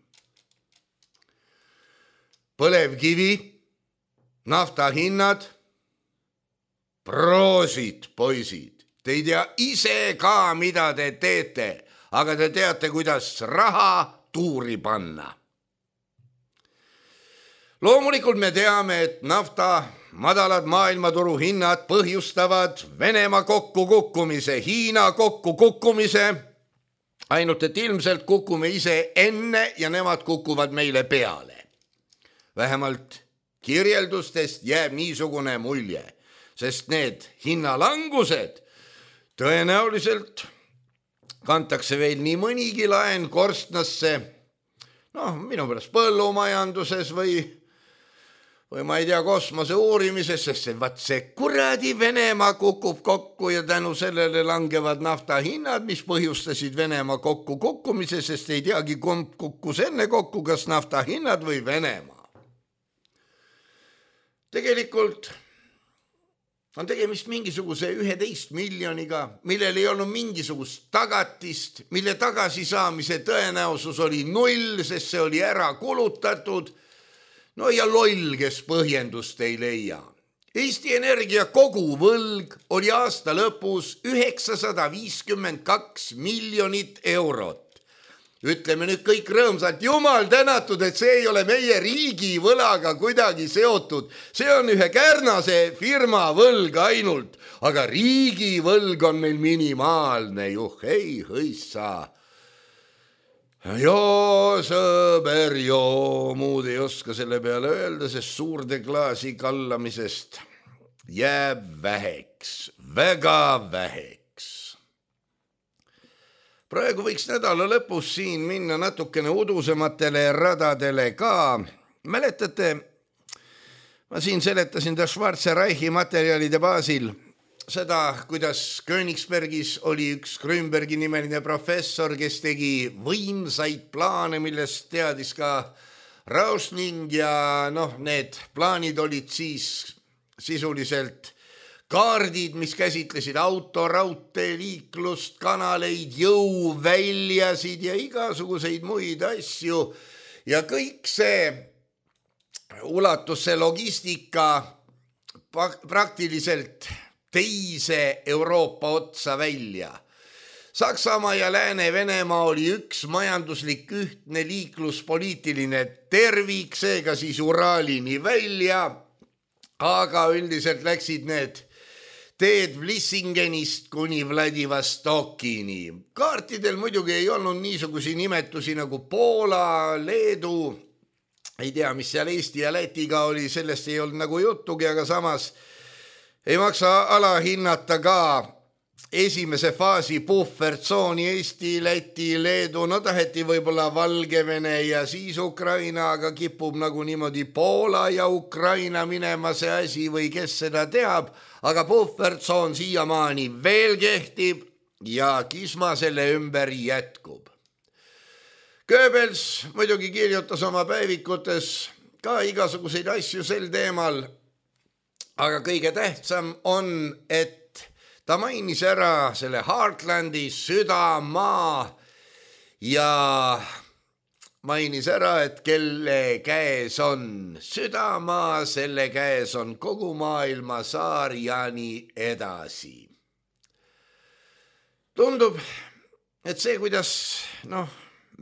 Põlevkivi, nafta hinnad, proosid, poisid. Te ei tea ise ka, mida te teete, aga te teate, kuidas raha tuuri panna. Loomulikult me teame, et nafta madalad maailmaturu hinnad põhjustavad Venemaa kokkukukkumise, Hiina kokkukukkumise, ainult et ilmselt kukume ise enne ja nemad kukuvad meile peale. Vähemalt kirjeldustest jääb niisugune mulje, sest need hinnalangused tõenäoliselt kantakse veel nii mõnigi laen korstnasse, noh, minu pärast põllumajanduses või, või ma ei tea, kosmose uurimises, sest see, vaat see kuradi Venemaa kukub kokku ja tänu sellele langevad nafta hinnad, mis põhjustasid Venemaa kokku kukkumise, sest ei teagi, kumb kukkus enne kokku, kas nafta hinnad või Venemaa. Tegelikult on tegemist mingisuguse üheteist miljoniga, millel ei olnud mingisugust tagatist, mille tagasisaamise tõenäosus oli null, sest see oli ära kulutatud. No ja loll, kes põhjendust ei leia. Eesti Energia koguvõlg oli aasta lõpus üheksasada viiskümmend kaks miljonit eurot. ütleme nüüd kõik rõõmsalt, jumal tänatud, et see ei ole meie riigi võlaga kuidagi seotud. See on ühe Kärnase firma võlg ainult, aga riigi võlg on meil minimaalne. Juh, ei hõissa. Joo, sõber, joo, muud ei oska selle peale öelda, sest suurde klaasi kallamisest jääb väheks, väga väheks. Praegu võiks nädala lõpus siin minna natukene udusematele radadele ka. Mäletate, ma siin seletasin ta Schwarzenreichi materjalide baasil seda, kuidas Königsbergis oli üks Grünbergi nimeline professor, kes tegi võimsaid plaane, millest teadis ka Rausning ja noh, need plaanid olid siis sisuliselt kaardid, mis käsitlesid auto, raudtee, liiklust, kanaleid, jõuväljasid ja igasuguseid muid asju. Ja kõik see ulatus see logistika praktiliselt teise Euroopa otsa välja. Saksamaa ja Lääne-Venemaa oli üks majanduslik ühtne liikluspoliitiline tervik, seega siis Uralini välja, aga üldiselt läksid need teed Vlissingenist kuni Vladivostokini. Kaartidel muidugi ei olnud niisugusi nimetusi nagu Poola, Leedu, ei tea, mis seal Eesti ja Lätiga oli, sellest ei olnud nagu juttugi, aga samas ei maksa alahinnata ka esimese faasi puhvertsooni Eesti, Läti, Leedu, no taheti võib-olla Valgevene ja siis Ukraina, aga kipub nagu niimoodi Poola ja Ukraina minema see asi või kes seda teab, aga puhvertsoon siiamaani veel kehtib ja kisma selle ümber jätkub. Goebbels muidugi kirjutas oma päevikutes ka igasuguseid asju sel teemal, aga kõige tähtsam on, et ta mainis ära selle Heartlandi südamaa ja mainis ära, et kelle käes on südamaa, selle käes on kogu maailma saar ja nii edasi. Tundub, et see, kuidas noh,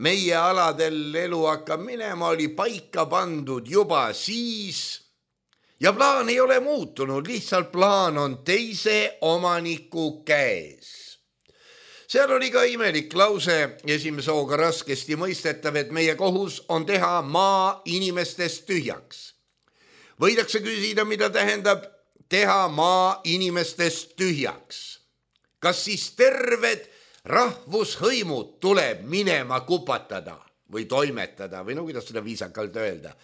meie aladel elu hakkab minema, oli paika pandud juba siis ja plaan ei ole muutunud, lihtsalt plaan on teise omaniku käes. Seal oli ka imelik lause, esimese hooga raskesti mõistetav, et meie kohus on teha maa inimestest tühjaks. Võidakse küsida, mida tähendab teha maa inimestest tühjaks. Kas siis terved rahvushõimud tuleb minema kupatada või toimetada või no kuidas seda viisakalt öelda?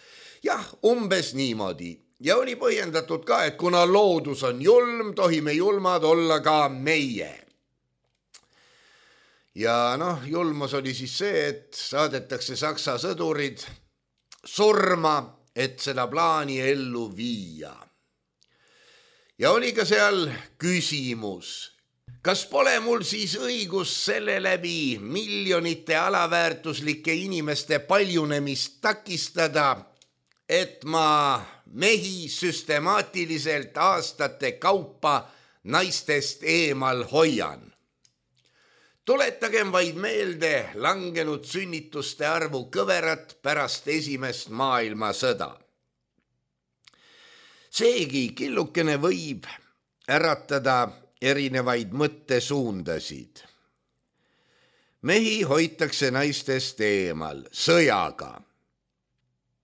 Jah, umbes niimoodi. Ja oli põhjendatud ka, et kuna loodus on julm, tohime julmad olla ka meie. Ja noh, julmus oli siis see, et saadetakse Saksa sõdurid surma, et seda plaani ellu viia. Ja oli ka seal küsimus, kas pole mul siis õigus selle läbi miljonite alaväärtuslike inimeste paljunemist takistada, et ma mehi süstemaatiliselt aastate kaupa naistest eemal hoian. Tuletagem vaid meelde langenud sünnituste arvu kõverat pärast esimest maailmasõda. Seegi killukene võib äratada erinevaid mõttesuundasid. Mehi hoitakse naistest eemal sõjaga.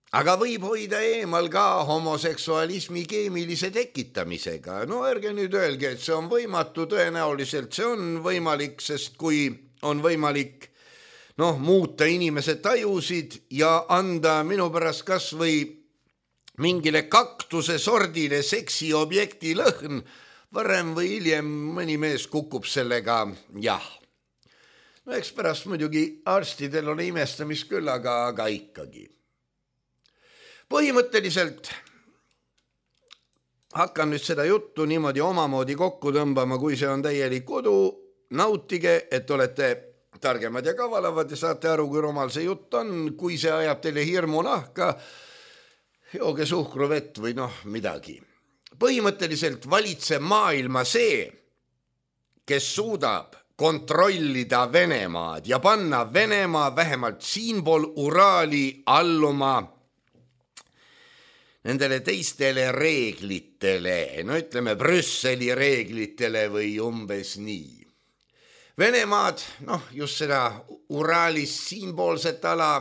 Aga võib hoida eemal ka homoseksualismi keemilise tekitamisega. No ärge nüüd öelge, et see on võimatu, tõenäoliselt see on võimalik, sest kui on võimalik noh, muuta inimese tajusid ja anda minu pärast kas või mingile kaktuse sordile seksiobjekti lõhn, varem või hiljem mõni mees kukub sellega, jah. No eks pärast muidugi arstidel on imestamist küll, aga, aga ikkagi. Põhimõtteliselt hakkan nüüd seda juttu niimoodi omamoodi kokku tõmbama, kui see on täielik kodu. Nautige, et olete targemad ja kavalavad ja saate aru, kui rumal see jutt on. Kui see ajab teile hirmu nahka, jooge suhkruvett või noh midagi. Põhimõtteliselt valitseb maailma see, kes suudab kontrollida Venemaad ja panna Venemaa vähemalt siinpool Uraali alluma nendele teistele reeglitele, no ütleme Brüsseli reeglitele või umbes nii. Venemaad, noh just seda Uraalis siinpoolset ala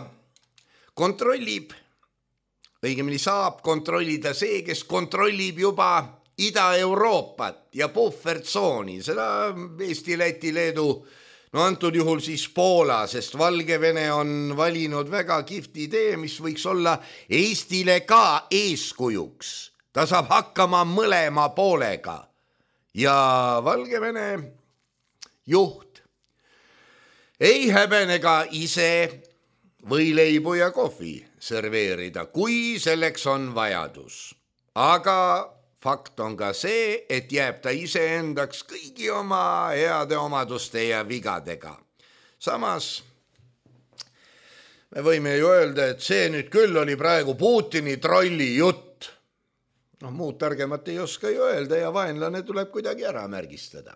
kontrollib, õigemini saab kontrollida see, kes kontrollib juba Ida-Euroopat ja puhvertsooni, seda Eesti, Läti, Leedu, no antud juhul siis Poola, sest Valgevene on valinud väga kihvti idee, mis võiks olla Eestile ka eeskujuks. Ta saab hakkama mõlema poolega ja Valgevene juht ei häbenega ise võileibu ja kohvi serveerida, kui selleks on vajadus. Aga fakt on ka see, et jääb ta iseendaks kõigi oma heade omaduste ja vigadega. Samas me võime ju öelda, et see nüüd küll oli praegu Putini trolli jutt. No muud targemat ei oska ju öelda ja vaenlane tuleb kuidagi ära märgistada.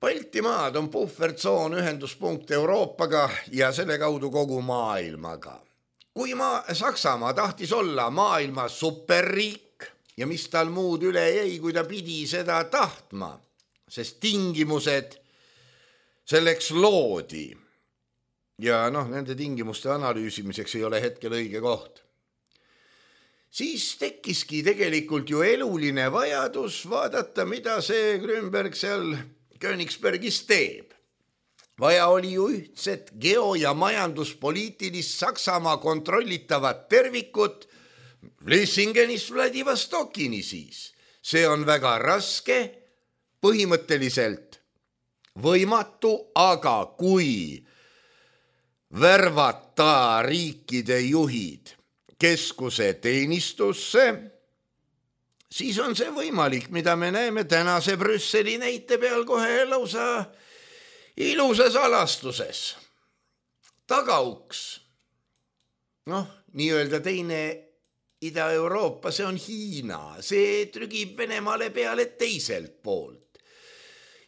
Baltimaad on puhvertsoon ühenduspunkt Euroopaga ja selle kaudu kogu maailmaga. Kui maa, Saksamaa tahtis olla maailma superriik ja mis tal muud üle jäi, kui ta pidi seda tahtma, sest tingimused selleks loodi. Ja noh, nende tingimuste analüüsimiseks ei ole hetkel õige koht. Siis tekkiski tegelikult ju eluline vajadus vaadata, mida see Grünberg seal Königsbergis teeb. Vaja oli ju ühtset geo- ja majanduspoliitilist Saksamaa kontrollitavat tervikut Vlissingenist Vladivostokini siis. See on väga raske, põhimõtteliselt võimatu, aga kui värvata riikide juhid keskuse teenistusse, siis on see võimalik, mida me näeme tänase Brüsseli näite peal kohe lausa ilusas alastuses. Tagauks, noh, nii-öelda teine Ida-Euroopa, see on Hiina, see trügib Venemaale peale teiselt poolt.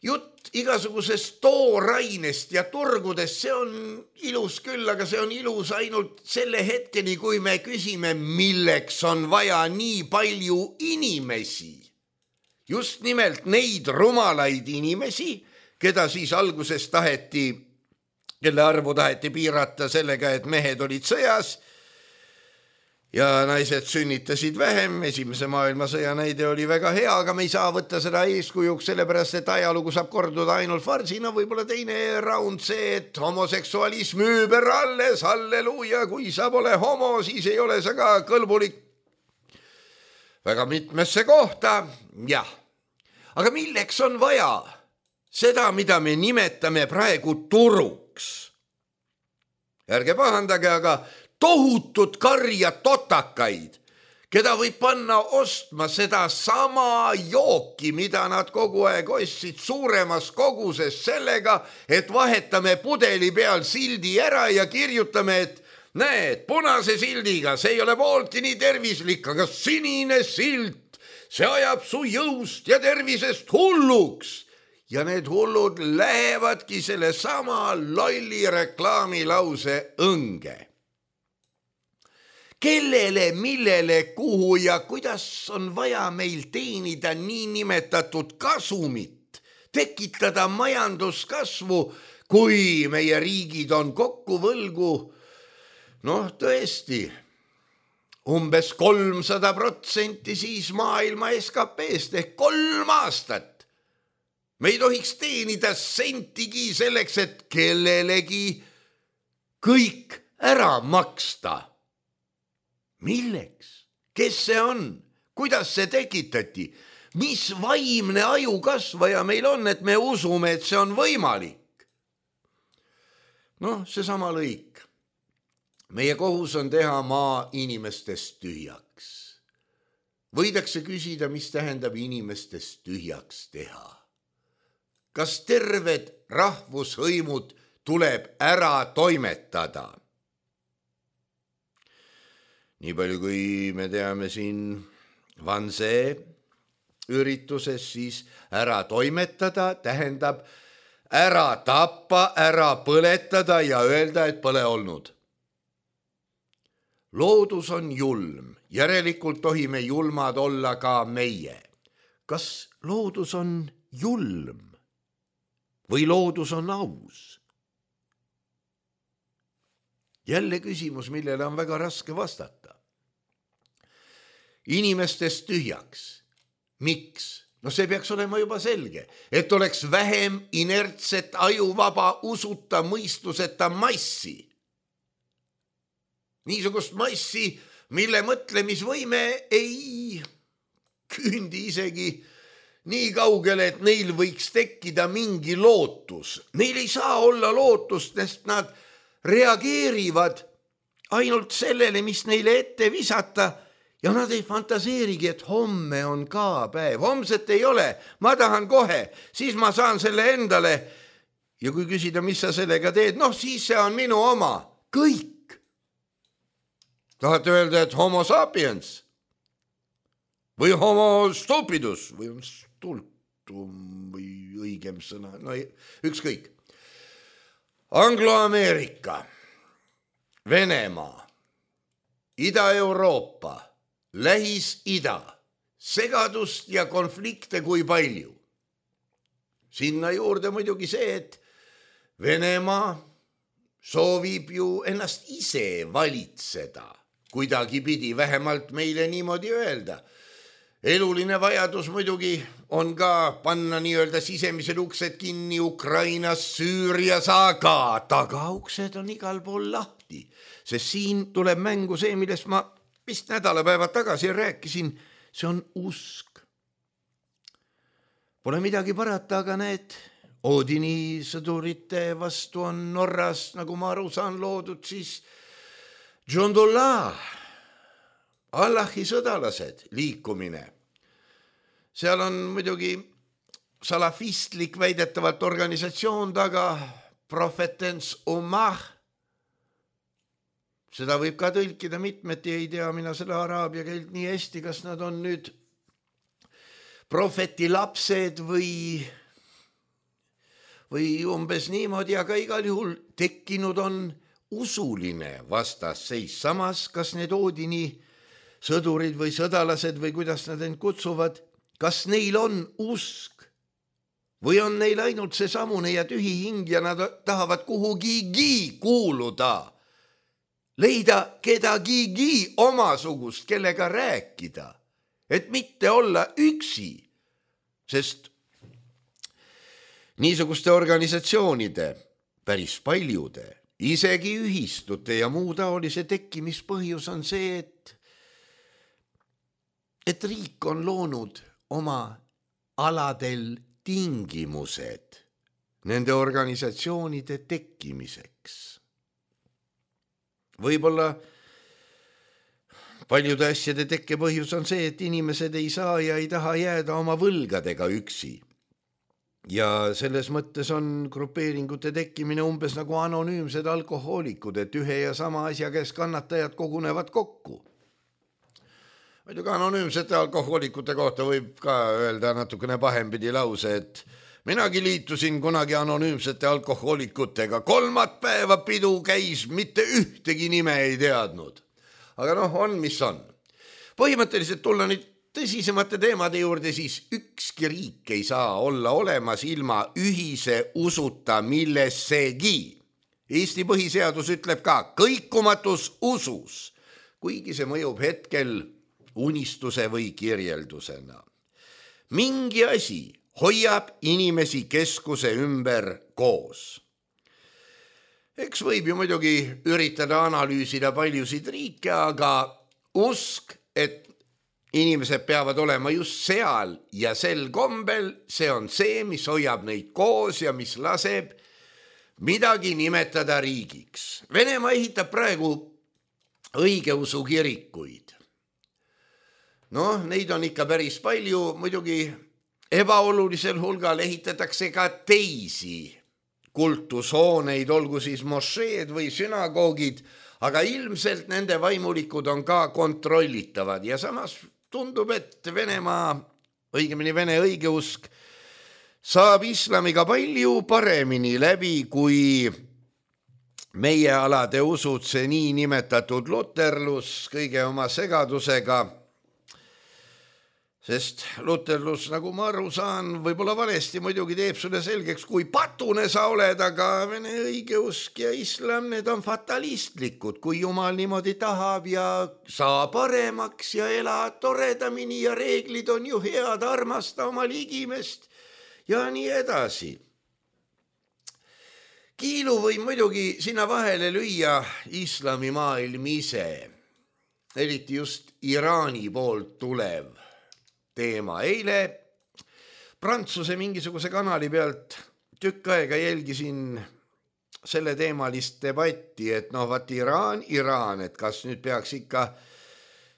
Jutt igasugusest toorainest ja turgudest, see on ilus küll, aga see on ilus ainult selle hetkeni, kui me küsime, milleks on vaja nii palju inimesi. Just nimelt neid rumalaid inimesi, keda siis alguses taheti, kelle arvu taheti piirata sellega, et mehed olid sõjas ja naised sünnitasid vähem. Esimese maailmasõja näide oli väga hea, aga me ei saa võtta seda eeskujuks, sellepärast et ajalugu saab korduda ainult farsina. Võib-olla teine raund see, et homoseksualism üüber alles, halleluuja, kui sa pole homo, siis ei ole sa ka kõlbulik väga mitmesse kohta. Jah, aga milleks on vaja seda, mida me nimetame praegu turuks? Ärge pahandage, aga tohutud karja totakaid, keda võib panna ostma seda sama jooki, mida nad kogu aeg ostsid suuremas koguses sellega, et vahetame pudeli peal sildi ära ja kirjutame, et näed, punase sildiga, see ei ole pooltki nii tervislik, aga sinine silt, see ajab su jõust ja tervisest hulluks. Ja need hullud lähevadki selle sama lolli reklaamilause õnge. Kellele, millele, kuhu ja kuidas on vaja meil teenida nii nimetatud kasumit, tekitada majanduskasvu, kui meie riigid on kokku võlgu, noh tõesti, umbes kolmsada protsenti siis maailma S K P-st ehk kolm aastat. Me ei tohiks teenida sentigi selleks, et kellelegi kõik ära maksta. Milleks? Kes see on? Kuidas see tekitati? Mis vaimne ajukasvaja meil on, et me usume, et see on võimalik? Noh, see sama lõik. Meie kohus on teha maa inimestest tühjaks. Võidakse küsida, mis tähendab inimestest tühjaks teha. Kas terved rahvushõimud tuleb ära toimetada? Nii palju, kui me teame siin Vansee ürituses, siis ära toimetada tähendab ära tappa, ära põletada ja öelda, et pole olnud. Loodus on julm, järelikult tohime julmad olla ka meie. Kas loodus on julm või loodus on aus? Jälle küsimus, millele on väga raske vastata. Inimestest tühjaks. Miks? No see peaks olema juba selge, et oleks vähem inertset ajuvaba usuta mõistuseta massi. Niisugust massi, mille mõtlemisvõime ei küündi isegi nii kaugele, et neil võiks tekkida mingi lootus. Neil ei saa olla lootust, sest nad reageerivad ainult sellele, mis neile ette visata ja nad ei fantaseerigi, et homme on ka päev. Homset ei ole, ma tahan kohe, siis ma saan selle endale. Ja kui küsida, mis sa sellega teed, noh siis see on minu oma. Kõik. Tahate öelda, et homo sapiens või homo stupidus või stultum või õigem sõna, no ükskõik. Anglo-Ameerika, Venemaa, Ida-Euroopa, Lähis-Ida, segadust ja konflikte kui palju. Sinna juurde muidugi see, et Venemaa soovib ju ennast ise valitseda. Kuidagi pidi vähemalt meile niimoodi öelda. Eluline vajadus muidugi on ka panna nii-öelda sisemised uksed kinni Ukrainas, Süürias, aga tagauksed on igal pool lahti. Sest siin tuleb mängu see, millest ma vist nädalapäevad tagasi rääkisin, see on usk. Pole midagi parata, aga need Oodini sõdurite vastu on Norras, nagu ma aru saan, loodud siis Džondullah, Allahi sõdalased liikumine. Seal on muidugi salafistlik väidetavalt organisatsioon taga, Prophetens Ummah. Seda võib ka tõlkida mitmeti, ei tea mina selle araabia keelt nii hästi, kas nad on nüüd prohveti lapsed või, või umbes niimoodi, aga igal juhul tekkinud on usuline vastasseis. Samas, kas need Oodini sõdurid või sõdalased või kuidas nad end kutsuvad, kas neil on usk või on neil ainult see samune ja tühi hing ja nad tahavad kuhugigi kuuluda, leida kedagigi omasugust, kellega rääkida, et mitte olla üksi, sest niisuguste organisatsioonide, päris paljude, isegi ühistute ja muu taolise tekkimispõhjus on see, et, et riik on loonud oma aladel tingimused nende organisatsioonide tekkimiseks. Võib-olla paljude asjade tekkepõhjus on see, et inimesed ei saa ja ei taha jääda oma võlgadega üksi. Ja selles mõttes on grupeeringute tekkimine umbes nagu anonüümsed alkohoolikud, et ühe ja sama asja käes kannatajad kogunevad kokku. Muidugi anonüümsete alkohoolikute kohta võib ka öelda natukene pahempidi lause, et minagi liitusin kunagi anonüümsete alkohoolikutega. Kolmat päeva pidu käis, mitte ühtegi nime ei teadnud. Aga noh, on mis on. Põhimõtteliselt tulla nüüd tõsisemate teemade juurde, siis ükski riik ei saa olla olemas ilma ühise usuta millessegi. Eesti põhiseadus ütleb ka kõikumatus usus, kuigi see mõjub hetkel unistuse või kirjeldusena. Mingi asi hoiab inimesi keskuse ümber koos. Eks võib ju muidugi üritada analüüsida paljusid riike, aga usk, et inimesed peavad olema just seal ja sel kombel, see on see, mis hoiab neid koos ja mis laseb midagi nimetada riigiks. Venemaa ehitab praegu õigeusu kirikuid. Noh, neid on ikka päris palju, muidugi ebaolulisel hulgal ehitatakse ka teisi kultushooneid, olgu siis mošeed või sünagoogid, aga ilmselt nende vaimulikud on ka kontrollitavad ja samas tundub, et Venemaa, õigemini Vene õigeusk, saab islamiga palju paremini läbi, kui meie alade usud, see nii nimetatud luterlus kõige oma segadusega, sest luterlus, nagu ma aru saan, võib-olla valesti muidugi teeb sulle selgeks, kui patune sa oled, aga vene õigeusk ja islam, need on fatalistlikud, kui jumal niimoodi tahab ja saa paremaks ja elad toredamini ja reeglid on ju head, armasta oma ligimest ja nii edasi. Kiilu või muidugi sinna vahele lüüa islamimaailm ise, eriti just Iraani poolt tulev teema. Eile Prantsuse mingisuguse kanali pealt tükk aega jälgisin selle teemalist debatti, et noh, vaat Iraan, Iraan, et kas nüüd peaks ikka,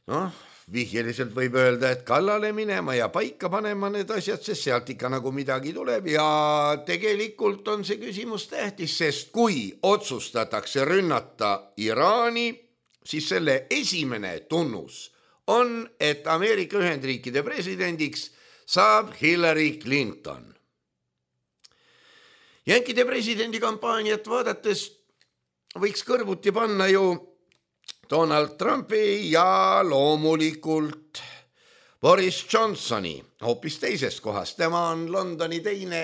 noh, vihjeliselt võib öelda, et kallale minema ja paika panema need asjad, sest sealt ikka nagu midagi tuleb ja tegelikult on see küsimus tähtis, sest kui otsustatakse rünnata Iraani, siis selle esimene tunnus on, et Ameerika Ühendriikide presidendiks saab Hillary Clinton. Jänkide presidendi kampaaniat vaadates võiks kõrvuti panna ju Donald Trumpi ja loomulikult Boris Johnsoni hoopis teisest kohast. Tema on Londoni teine,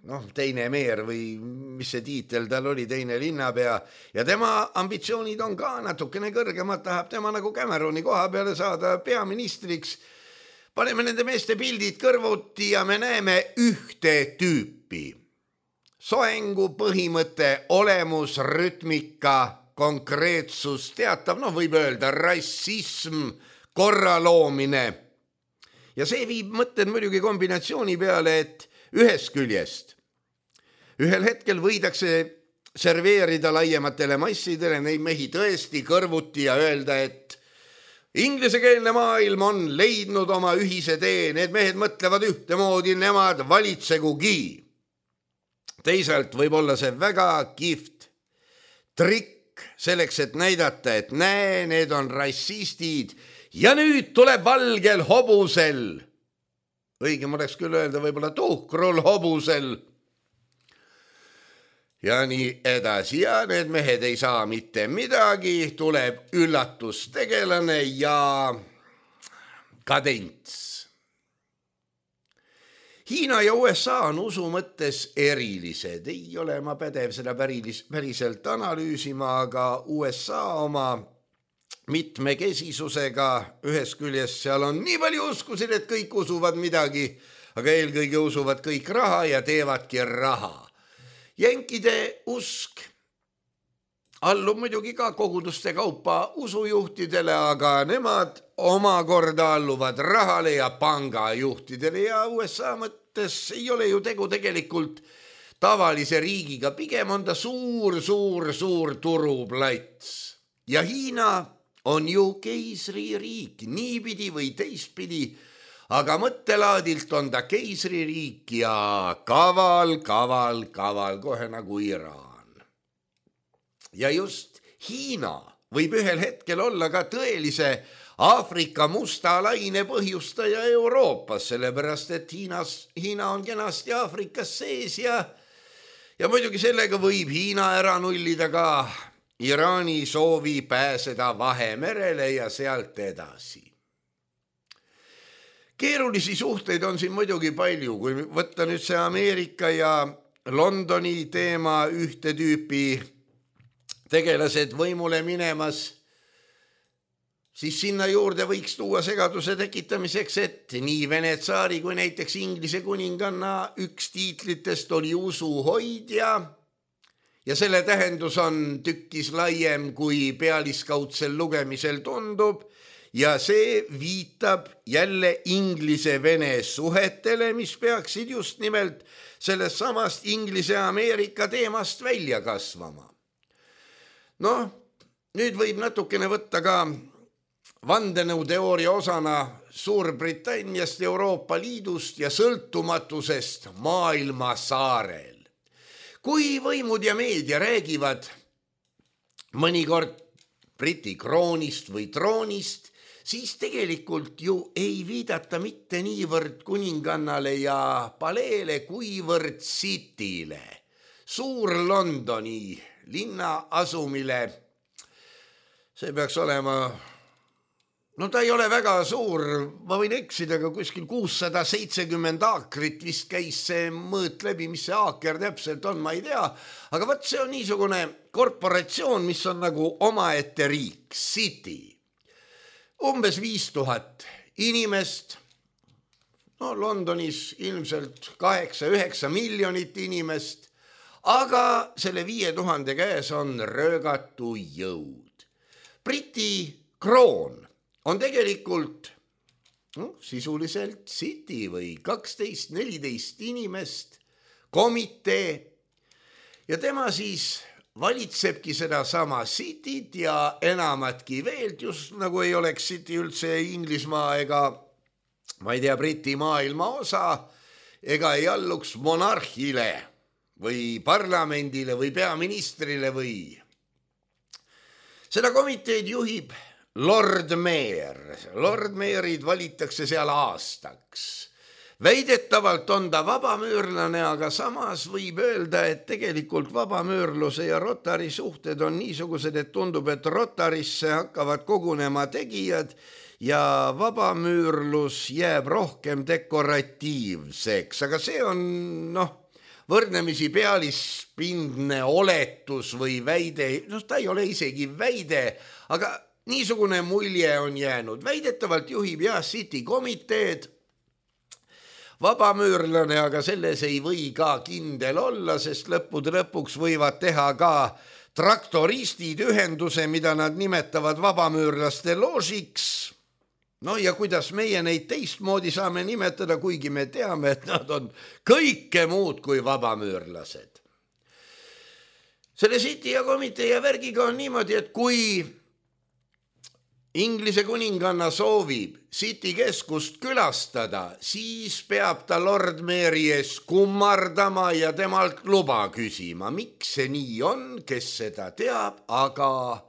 noh, teine meer või mis see tiitel tal oli, teine linnapea ja tema ambitsioonid on ka natukene kõrgemad, tahab tema nagu Cameroni koha peale saada peaministriks. Paneme nende meeste pildid kõrvuti ja me näeme ühte tüüpi. Soengu põhimõte, olemus, rütmika, konkreetsus, teatav, noh võib öelda rassism, korra loomine. Ja see viib mõtted muidugi kombinatsiooni peale, et ühest küljest ühel hetkel võidakse serveerida laiematele massidele neid mehi tõesti kõrvuti ja öelda, et inglesekeelne maailm on leidnud oma ühise tee, need mehed mõtlevad ühtemoodi, nemad valitsegugi. Teisalt võib olla see väga kihvt trikk selleks, et näidata, et näe, need on rassistid ja nüüd tuleb valgel hobusel, õigem oleks küll öelda võib-olla tuhkrul hobusel ja nii edasi ja need mehed ei saa mitte midagi, tuleb üllatustegelane ja kadents. Hiina ja U S A on usu mõttes erilised, ei ole ma pädev seda päris, päriselt analüüsima, aga U S A oma mitmekesisusega ühes küljes seal on nii palju uskusid, et kõik usuvad midagi, aga eelkõige usuvad kõik raha ja teevadki raha. Jänkide usk allub muidugi ka koguduste kaupa usujuhtidele, aga nemad omakorda alluvad rahale ja pangajuhtidele ja U S A mõttes ei ole ju tegu tegelikult tavalise riigiga, pigem on ta suur, suur, suur turuplats. Ja Hiina on ju keisririik, niipidi või teistpidi, aga mõttelaadilt on ta keisririik ja kaval, kaval, kaval, kohe nagu Iraan. Ja just Hiina võib ühel hetkel olla ka tõelise Aafrika musta laine põhjustaja Euroopas, sellepärast et Hiinas, Hiina on kenasti Aafrikas sees ja, ja muidugi sellega võib Hiina ära nullida ka Iraani soovi pääseda Vahemerele ja sealt edasi. Keerulisi suhteid on siin muidugi palju, kui võtta nüüd see Ameerika ja Londoni teema ühte tüüpi tegelased võimule minemas, siis sinna juurde võiks tuua segaduse tekitamiseks, et nii Vene tsaari kui näiteks Inglise kuninganna üks tiitlitest oli usuhoidja ja selle tähendus on tükkis laiem kui pealiskaudsel lugemisel tundub ja see viitab jälle Inglise-Vene suhetele, mis peaksid just nimelt sellest samast Inglise-Ameerika teemast välja kasvama. Noh, nüüd võib natukene võtta ka vandenõuteooria osana Suurbritanniast, Euroopa Liidust ja sõltumatusest maailma saarel. Kui võimud ja meedia räägivad mõnikord Briti kroonist või troonist, siis tegelikult ju ei viidata mitte niivõrd kuningannale ja paleele, kuivõrd City'le, suur Londoni linna asumile. See peaks olema, no ta ei ole väga suur, ma võin eksida, aga kuskil kuussada seitsekümmend aakrit vist käis see mõõt läbi, mis see aaker täpselt on, ma ei tea, aga võt see on niisugune korporatsioon, mis on nagu omaette riik, City. Umbes viis tuhat inimest, no Londonis ilmselt kaheksa üheksa miljonit inimest, aga selle viie tuhande käes on röögatu jõud. Briti kroon on tegelikult no, sisuliselt City või kaksteist neliteist inimest, komitee ja tema siis valitsebki seda sama Cityt ja enamatki veel, just nagu ei oleks City üldse Inglismaa ega ma ei tea, Briti maailma osa ega ei alluks monarhile või parlamendile või peaministrile või. Seda komiteed juhib Lord Mayor. Lord Mayorid valitakse seal aastaks. Väidetavalt on ta vabamüürlane, aga samas võib öelda, et tegelikult vabamüürluse ja Rotary suhted on niisugused, et tundub, et Rotarisse hakkavad kogunema tegijad ja vabamüürlus jääb rohkem dekoratiivseks, aga see on noh, võrdnemisi pealispindne oletus või väide, noh ta ei ole isegi väide, aga niisugune mulje on jäänud. Väidetavalt juhib jah City komiteed, vabamüürlane, aga selles ei või ka kindel olla, sest lõppude lõpuks võivad teha ka traktoristid ühenduse, mida nad nimetavad vabamüürlaste loožiks. No ja kuidas meie neid teistmoodi saame nimetada, kuigi me teame, et nad on kõike muud kui vabamüürlased. Selle City ja komitee ja värgiga on niimoodi, et kui Inglise kuninganna soovib City keskust külastada, siis peab ta Lord Mary ees kummardama ja temalt luba küsima. Miks see nii on, kes seda teab, aga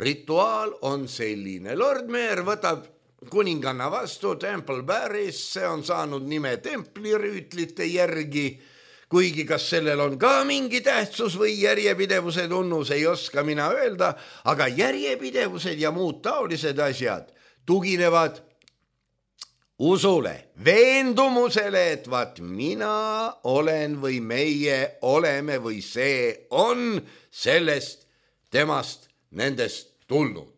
rituaal on selline. Lord Mayor võtab kuninganna vastu Temple Barris, see on saanud nime templirüütlite järgi, kuigi kas sellel on ka mingi tähtsus või järjepidevuse tunnus, ei oska mina öelda, aga järjepidevused ja muud taolised asjad tuginevad usule, veendumusele, et vaat mina olen või meie oleme või see on sellest, temast, nendest tulnud.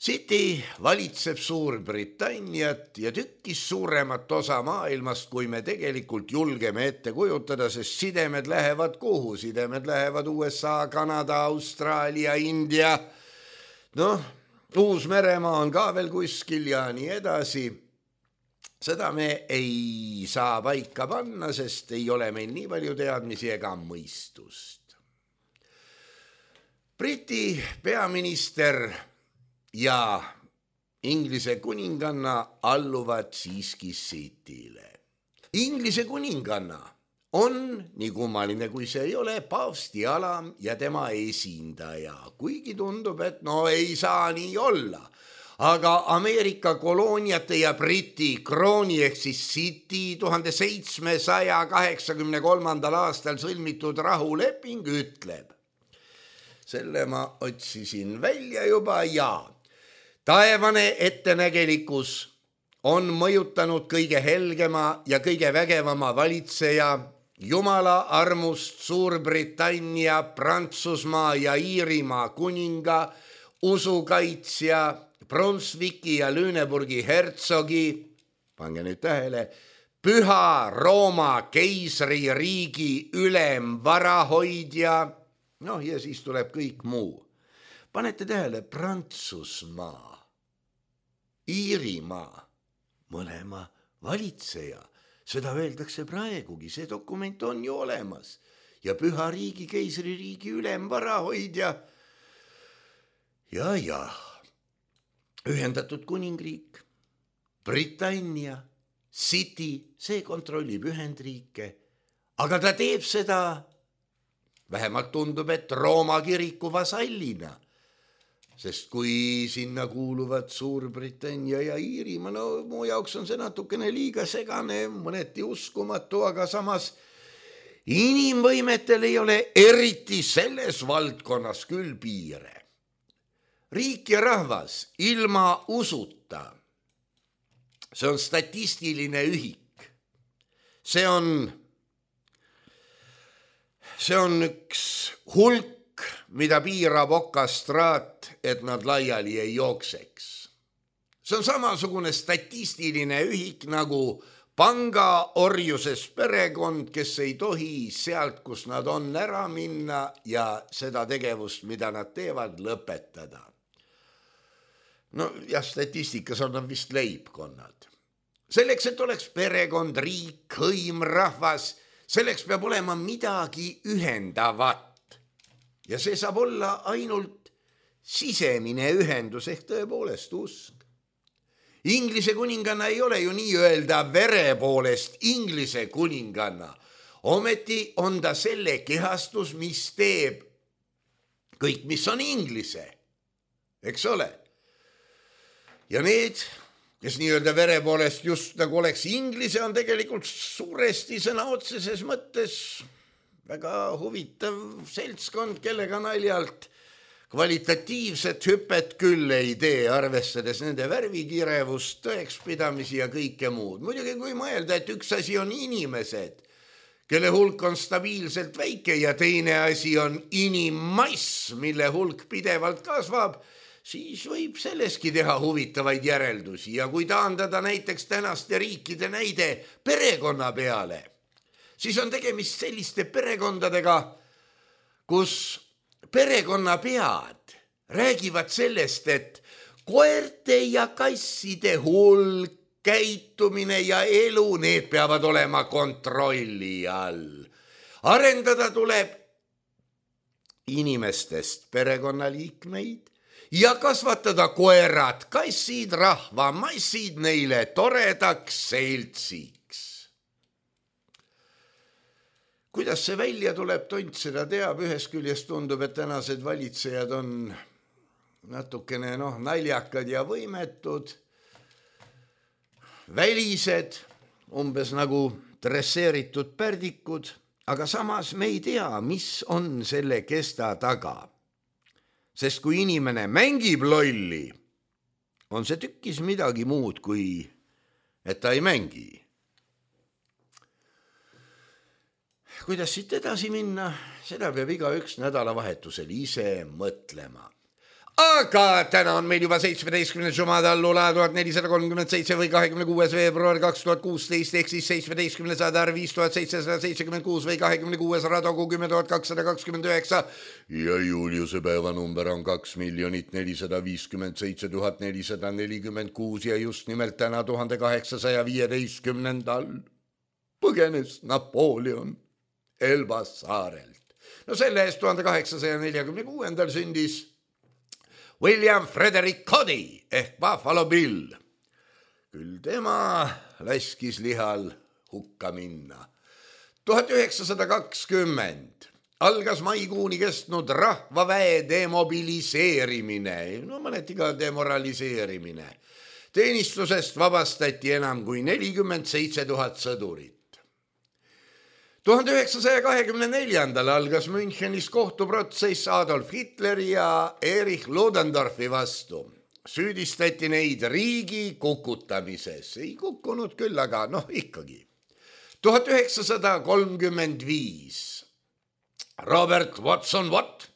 City valitseb Suurbritanniat ja tükkis suuremat osa maailmast, kui me tegelikult julgeme ette kujutada, sest sidemed lähevad kuhu? Sidemed lähevad U S A, Kanada, Austraalia, India, noh, Uus-Meremaa on ka veel kuskil ja nii edasi. Seda me ei saa paika panna, sest ei ole meil nii palju teadmisi ega mõistust. Briti peaminister ja Inglise kuninganna alluvad siiski City'le. Inglise kuninganna on, nii kummaline kui see ei ole, paavsti alam ja tema esindaja, kuigi tundub, et no ei saa nii olla. Aga Ameerika kolooniate ja Briti krooni ehk siis City tuhande seitsmesaja kaheksakümne kolmandal aastal sõlmitud rahuleping ütleb. Selle ma otsisin välja juba ja taevane ettenägelikkus on mõjutanud kõige helgema ja kõige vägevama valitseja, Jumala armust Suurbritannia, Prantsusmaa ja Iirimaa kuninga, usukaitsja, Brunswicki ja Lüneburgi hertsogi, pange nüüd tähele, Püha Rooma keisririigi ülemvarahoidja, noh ja siis tuleb kõik muu. Panete tähele, Prantsusmaa, Iirimaa, mõlema valitseja, seda öeldakse praegugi, see dokument on ju olemas ja Püha riigi keisririigi ülemvarahoidja. Ja, ja, Ühendatud Kuningriik, Britannia, City, see kontrollib Ühendriike, aga ta teeb seda, vähemalt tundub, et Rooma kiriku vasallina. sest kui sinna kuuluvad Suurbritannia ja Iirimaa, no mu jaoks on see natukene liiga segane, mõneti uskumatu, aga samas inimvõimetel ei ole eriti selles valdkonnas küll piire. Riik ja rahvas ilma usuta, see on statistiline ühik. See on, see on üks hulk, mida piirab okastraat, et nad laiali ei jookseks. See on samasugune statistiline ühik nagu panga orjuses perekond, kes ei tohi sealt, kus nad on, ära minna ja seda tegevust, mida nad teevad, lõpetada. No jah, statistikas on nad vist leibkonnad. Selleks, et oleks perekond, riik, hõim, rahvas, selleks peab olema midagi ühendavat. Ja see saab olla ainult sisemine ühendus ehk tõepoolest usk. Inglise kuninganna ei ole ju nii öelda vere poolest Inglise kuninganna. Ometi on ta selle kehastus, mis teeb kõik, mis on Inglise. Eks ole? Ja need, kes nii-öelda vere poolest just nagu oleks Inglise, on tegelikult suuresti sõna otseses mõttes väga huvitav seltskond, kellega naljalt kvalitatiivset hüpet küll ei tee, arvestades nende värvikirevust, tõekspidamisi ja kõike muud. Muidugi kui mõelda, et üks asi on inimesed, kelle hulk on stabiilselt väike ja teine asi on inimmass, mille hulk pidevalt kasvab, siis võib selleski teha huvitavaid järeldusi ja kui taandada näiteks tänaste riikide näide perekonna peale, siis on tegemist selliste perekondadega, kus perekonnapead räägivad sellest, et koerte ja kasside hulk, käitumine ja elu, need peavad olema kontrolli all. Arendada tuleb inimestest perekonnaliikmeid ja kasvatada koerad, kassid, rahva, massid neile toredaks seltsiks. Kuidas see välja tuleb, tont seda teab, ühest küljest tundub, et tänased valitsejad on natukene noh, naljakad ja võimetud, välised, umbes nagu dresseeritud pärdikud, aga samas me ei tea, mis on selle kesta taga. Sest kui inimene mängib lolli, on see tükkis midagi muud, kui et ta ei mängi. Kuidas siit edasi minna, seda peab igaüks nädalavahetusel ise mõtlema. Aga täna on meil juba seitsmeteistkümnes Jumada Allula tuhat nelisada kolmkümmend seitse või kahekümne kuues veebruar kaks tuhat kuusteist ehk siis seitsmeteistkümnes Adar viis tuhat seitsesada seitsekümmend kuus või kahekümne kuues Radogu kümme tuhat kakssada kakskümmend üheksa ja Juliuse päevanumber on kaks miljonit nelisada viiskümmend seitse tuhat nelisada nelikümmend kuus ja just nimelt täna tuhande kaheksasaja viieteistkümnendal põgenes Napoleon Elbas saarelt. No selle eest tuhande kaheksasaja neljakümne kuuendal sündis William Frederick Cody ehk Buffalo Bill. Küll tema laskis lihal hukka minna. tuhat üheksasada kakskümmend algas maikuuni kestnud rahvaväe demobiliseerimine, no mõneti ka demoraliseerimine. Teenistusest vabastati enam kui nelikümmend seitse tuhat sõdurit. tuhande üheksasaja kahekümne neljandal algas Münchenis kohtuprotsess Adolf Hitleri ja Erich Ludendorfi vastu. Süüdistati neid riigi kukutamises. Ei kukkunud küll, aga noh ikkagi. tuhat üheksasada kolmkümmend viis Robert Watson Watt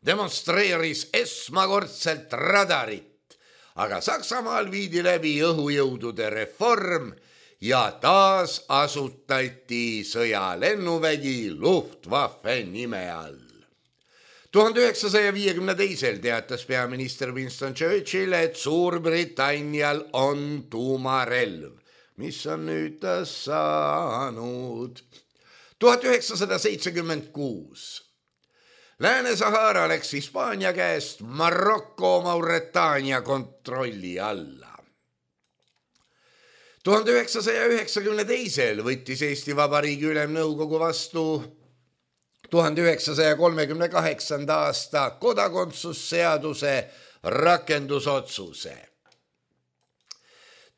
demonstreeris esmakordselt radarit, aga Saksamaal viidi läbi õhujõudude reform ja taas asutati sõjalennuvägi Luftwaffe nime all. tuhande üheksasaja viiekümne teisel teatas peaminister Winston Churchill, et Suurbritannial on tuumarelv, mis on nüüd ta saanud. tuhat üheksasada seitsekümmend kuus Lääne-Sahara läks Hispaania käest Maroko Mauretaania kontrolli alla. tuhande üheksasaja üheksakümne teisel võttis Eesti Vabariigi Ülemnõukogu vastu tuhande üheksasaja kolmekümne kaheksanda aasta kodakondsusseaduse rakendusotsuse.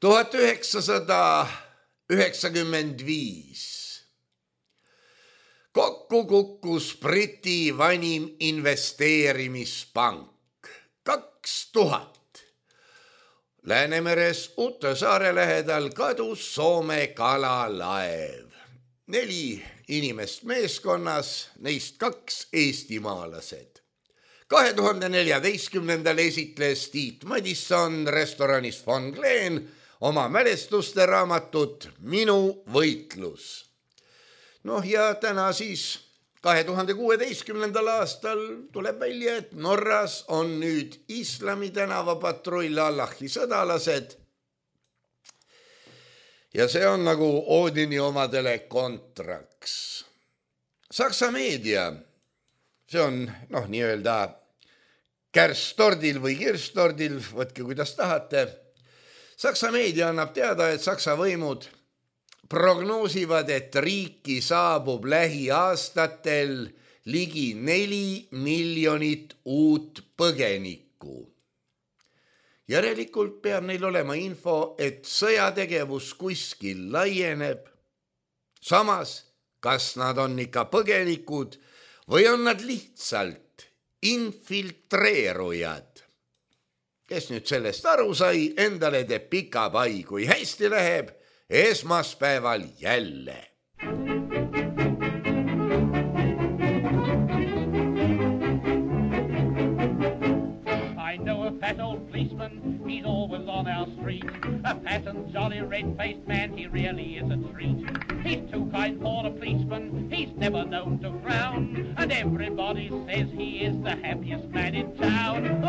tuhat üheksasada üheksakümmend viis. Kokku kukkus Briti vanim investeerimispank. Kaks tuhat. Läänemeres Uute saare lähedal kadus Soome kalalaev. Neli inimest meeskonnas, neist kaks eestimaalased. kahe tuhande neljateistkümnendal esitles Tiit Madisson restoranis Von Glen oma mälestuste raamatut Minu võitlus. Noh ja täna siis kahe tuhande kuueteistkümnendal aastal tuleb välja, et Norras on nüüd islami tänavapatrull Allahi sõdalased. Ja see on nagu Oodini omadele kontraks. Saksa meedia, see on noh nii-öelda kärstordil või kirstordil, võtke kuidas tahate. Saksa meedia annab teada, et Saksa võimud prognoosivad, et riiki saabub lähiaastatel ligi neli miljonit uut põgenikku. Järelikult peab neil olema info, et sõjategevus kuskil laieneb. Samas, kas nad on ikka põgenikud või on nad lihtsalt infiltreerujad? Kes nüüd sellest aru sai, endale teeb pika pai, kui hästi läheb, esmaspäeval jälle. I know a fat old policeman, he's always on our street. A fat and jolly red-faced man, he really is a treat. He's too kind for a policeman, he's never known to frown. And everybody says he is the happiest man in town.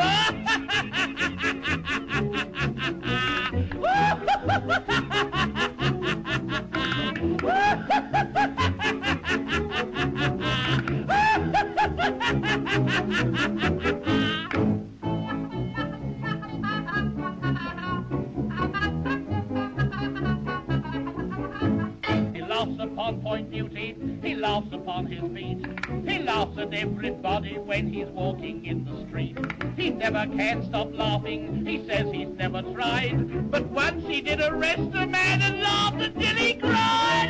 He laughs upon point duty, he laughs upon his feet. He laughs at everybody when he's walking in the street. He never can stop laughing, he says he's never tried. But once he did arrest a man and laughed until he cried.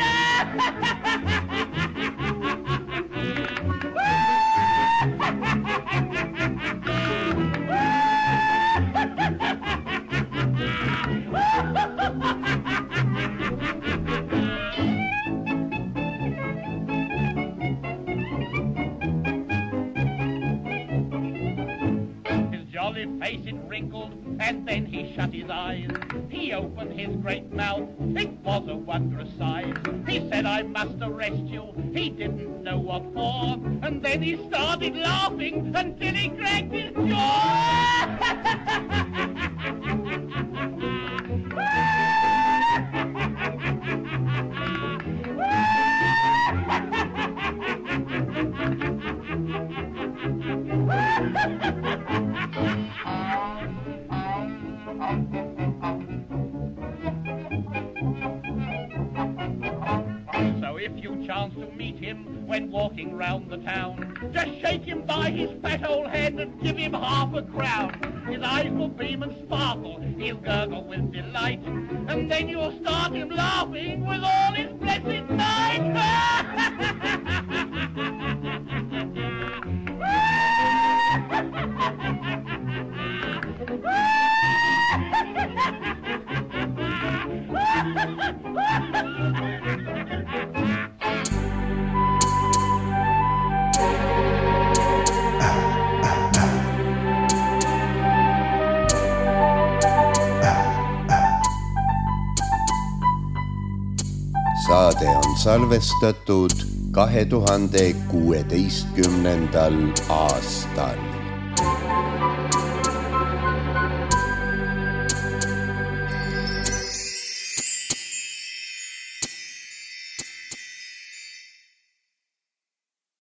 Face it wrinkled, and then he shut his eyes. He opened his great mouth, it was a wondrous size. He said, I must arrest you, he didn't know what for. And then he started laughing until he cracked his jaw. If you chance to meet him when walking round the town, just shake him by his fat old hand and give him half a crown. His eyes will beam and sparkle, he'll gurgle with delight, and then you'll start him laughing with all his blessed might. Saade on salvestatud kahe tuhande kuueteistkümnendal aastal.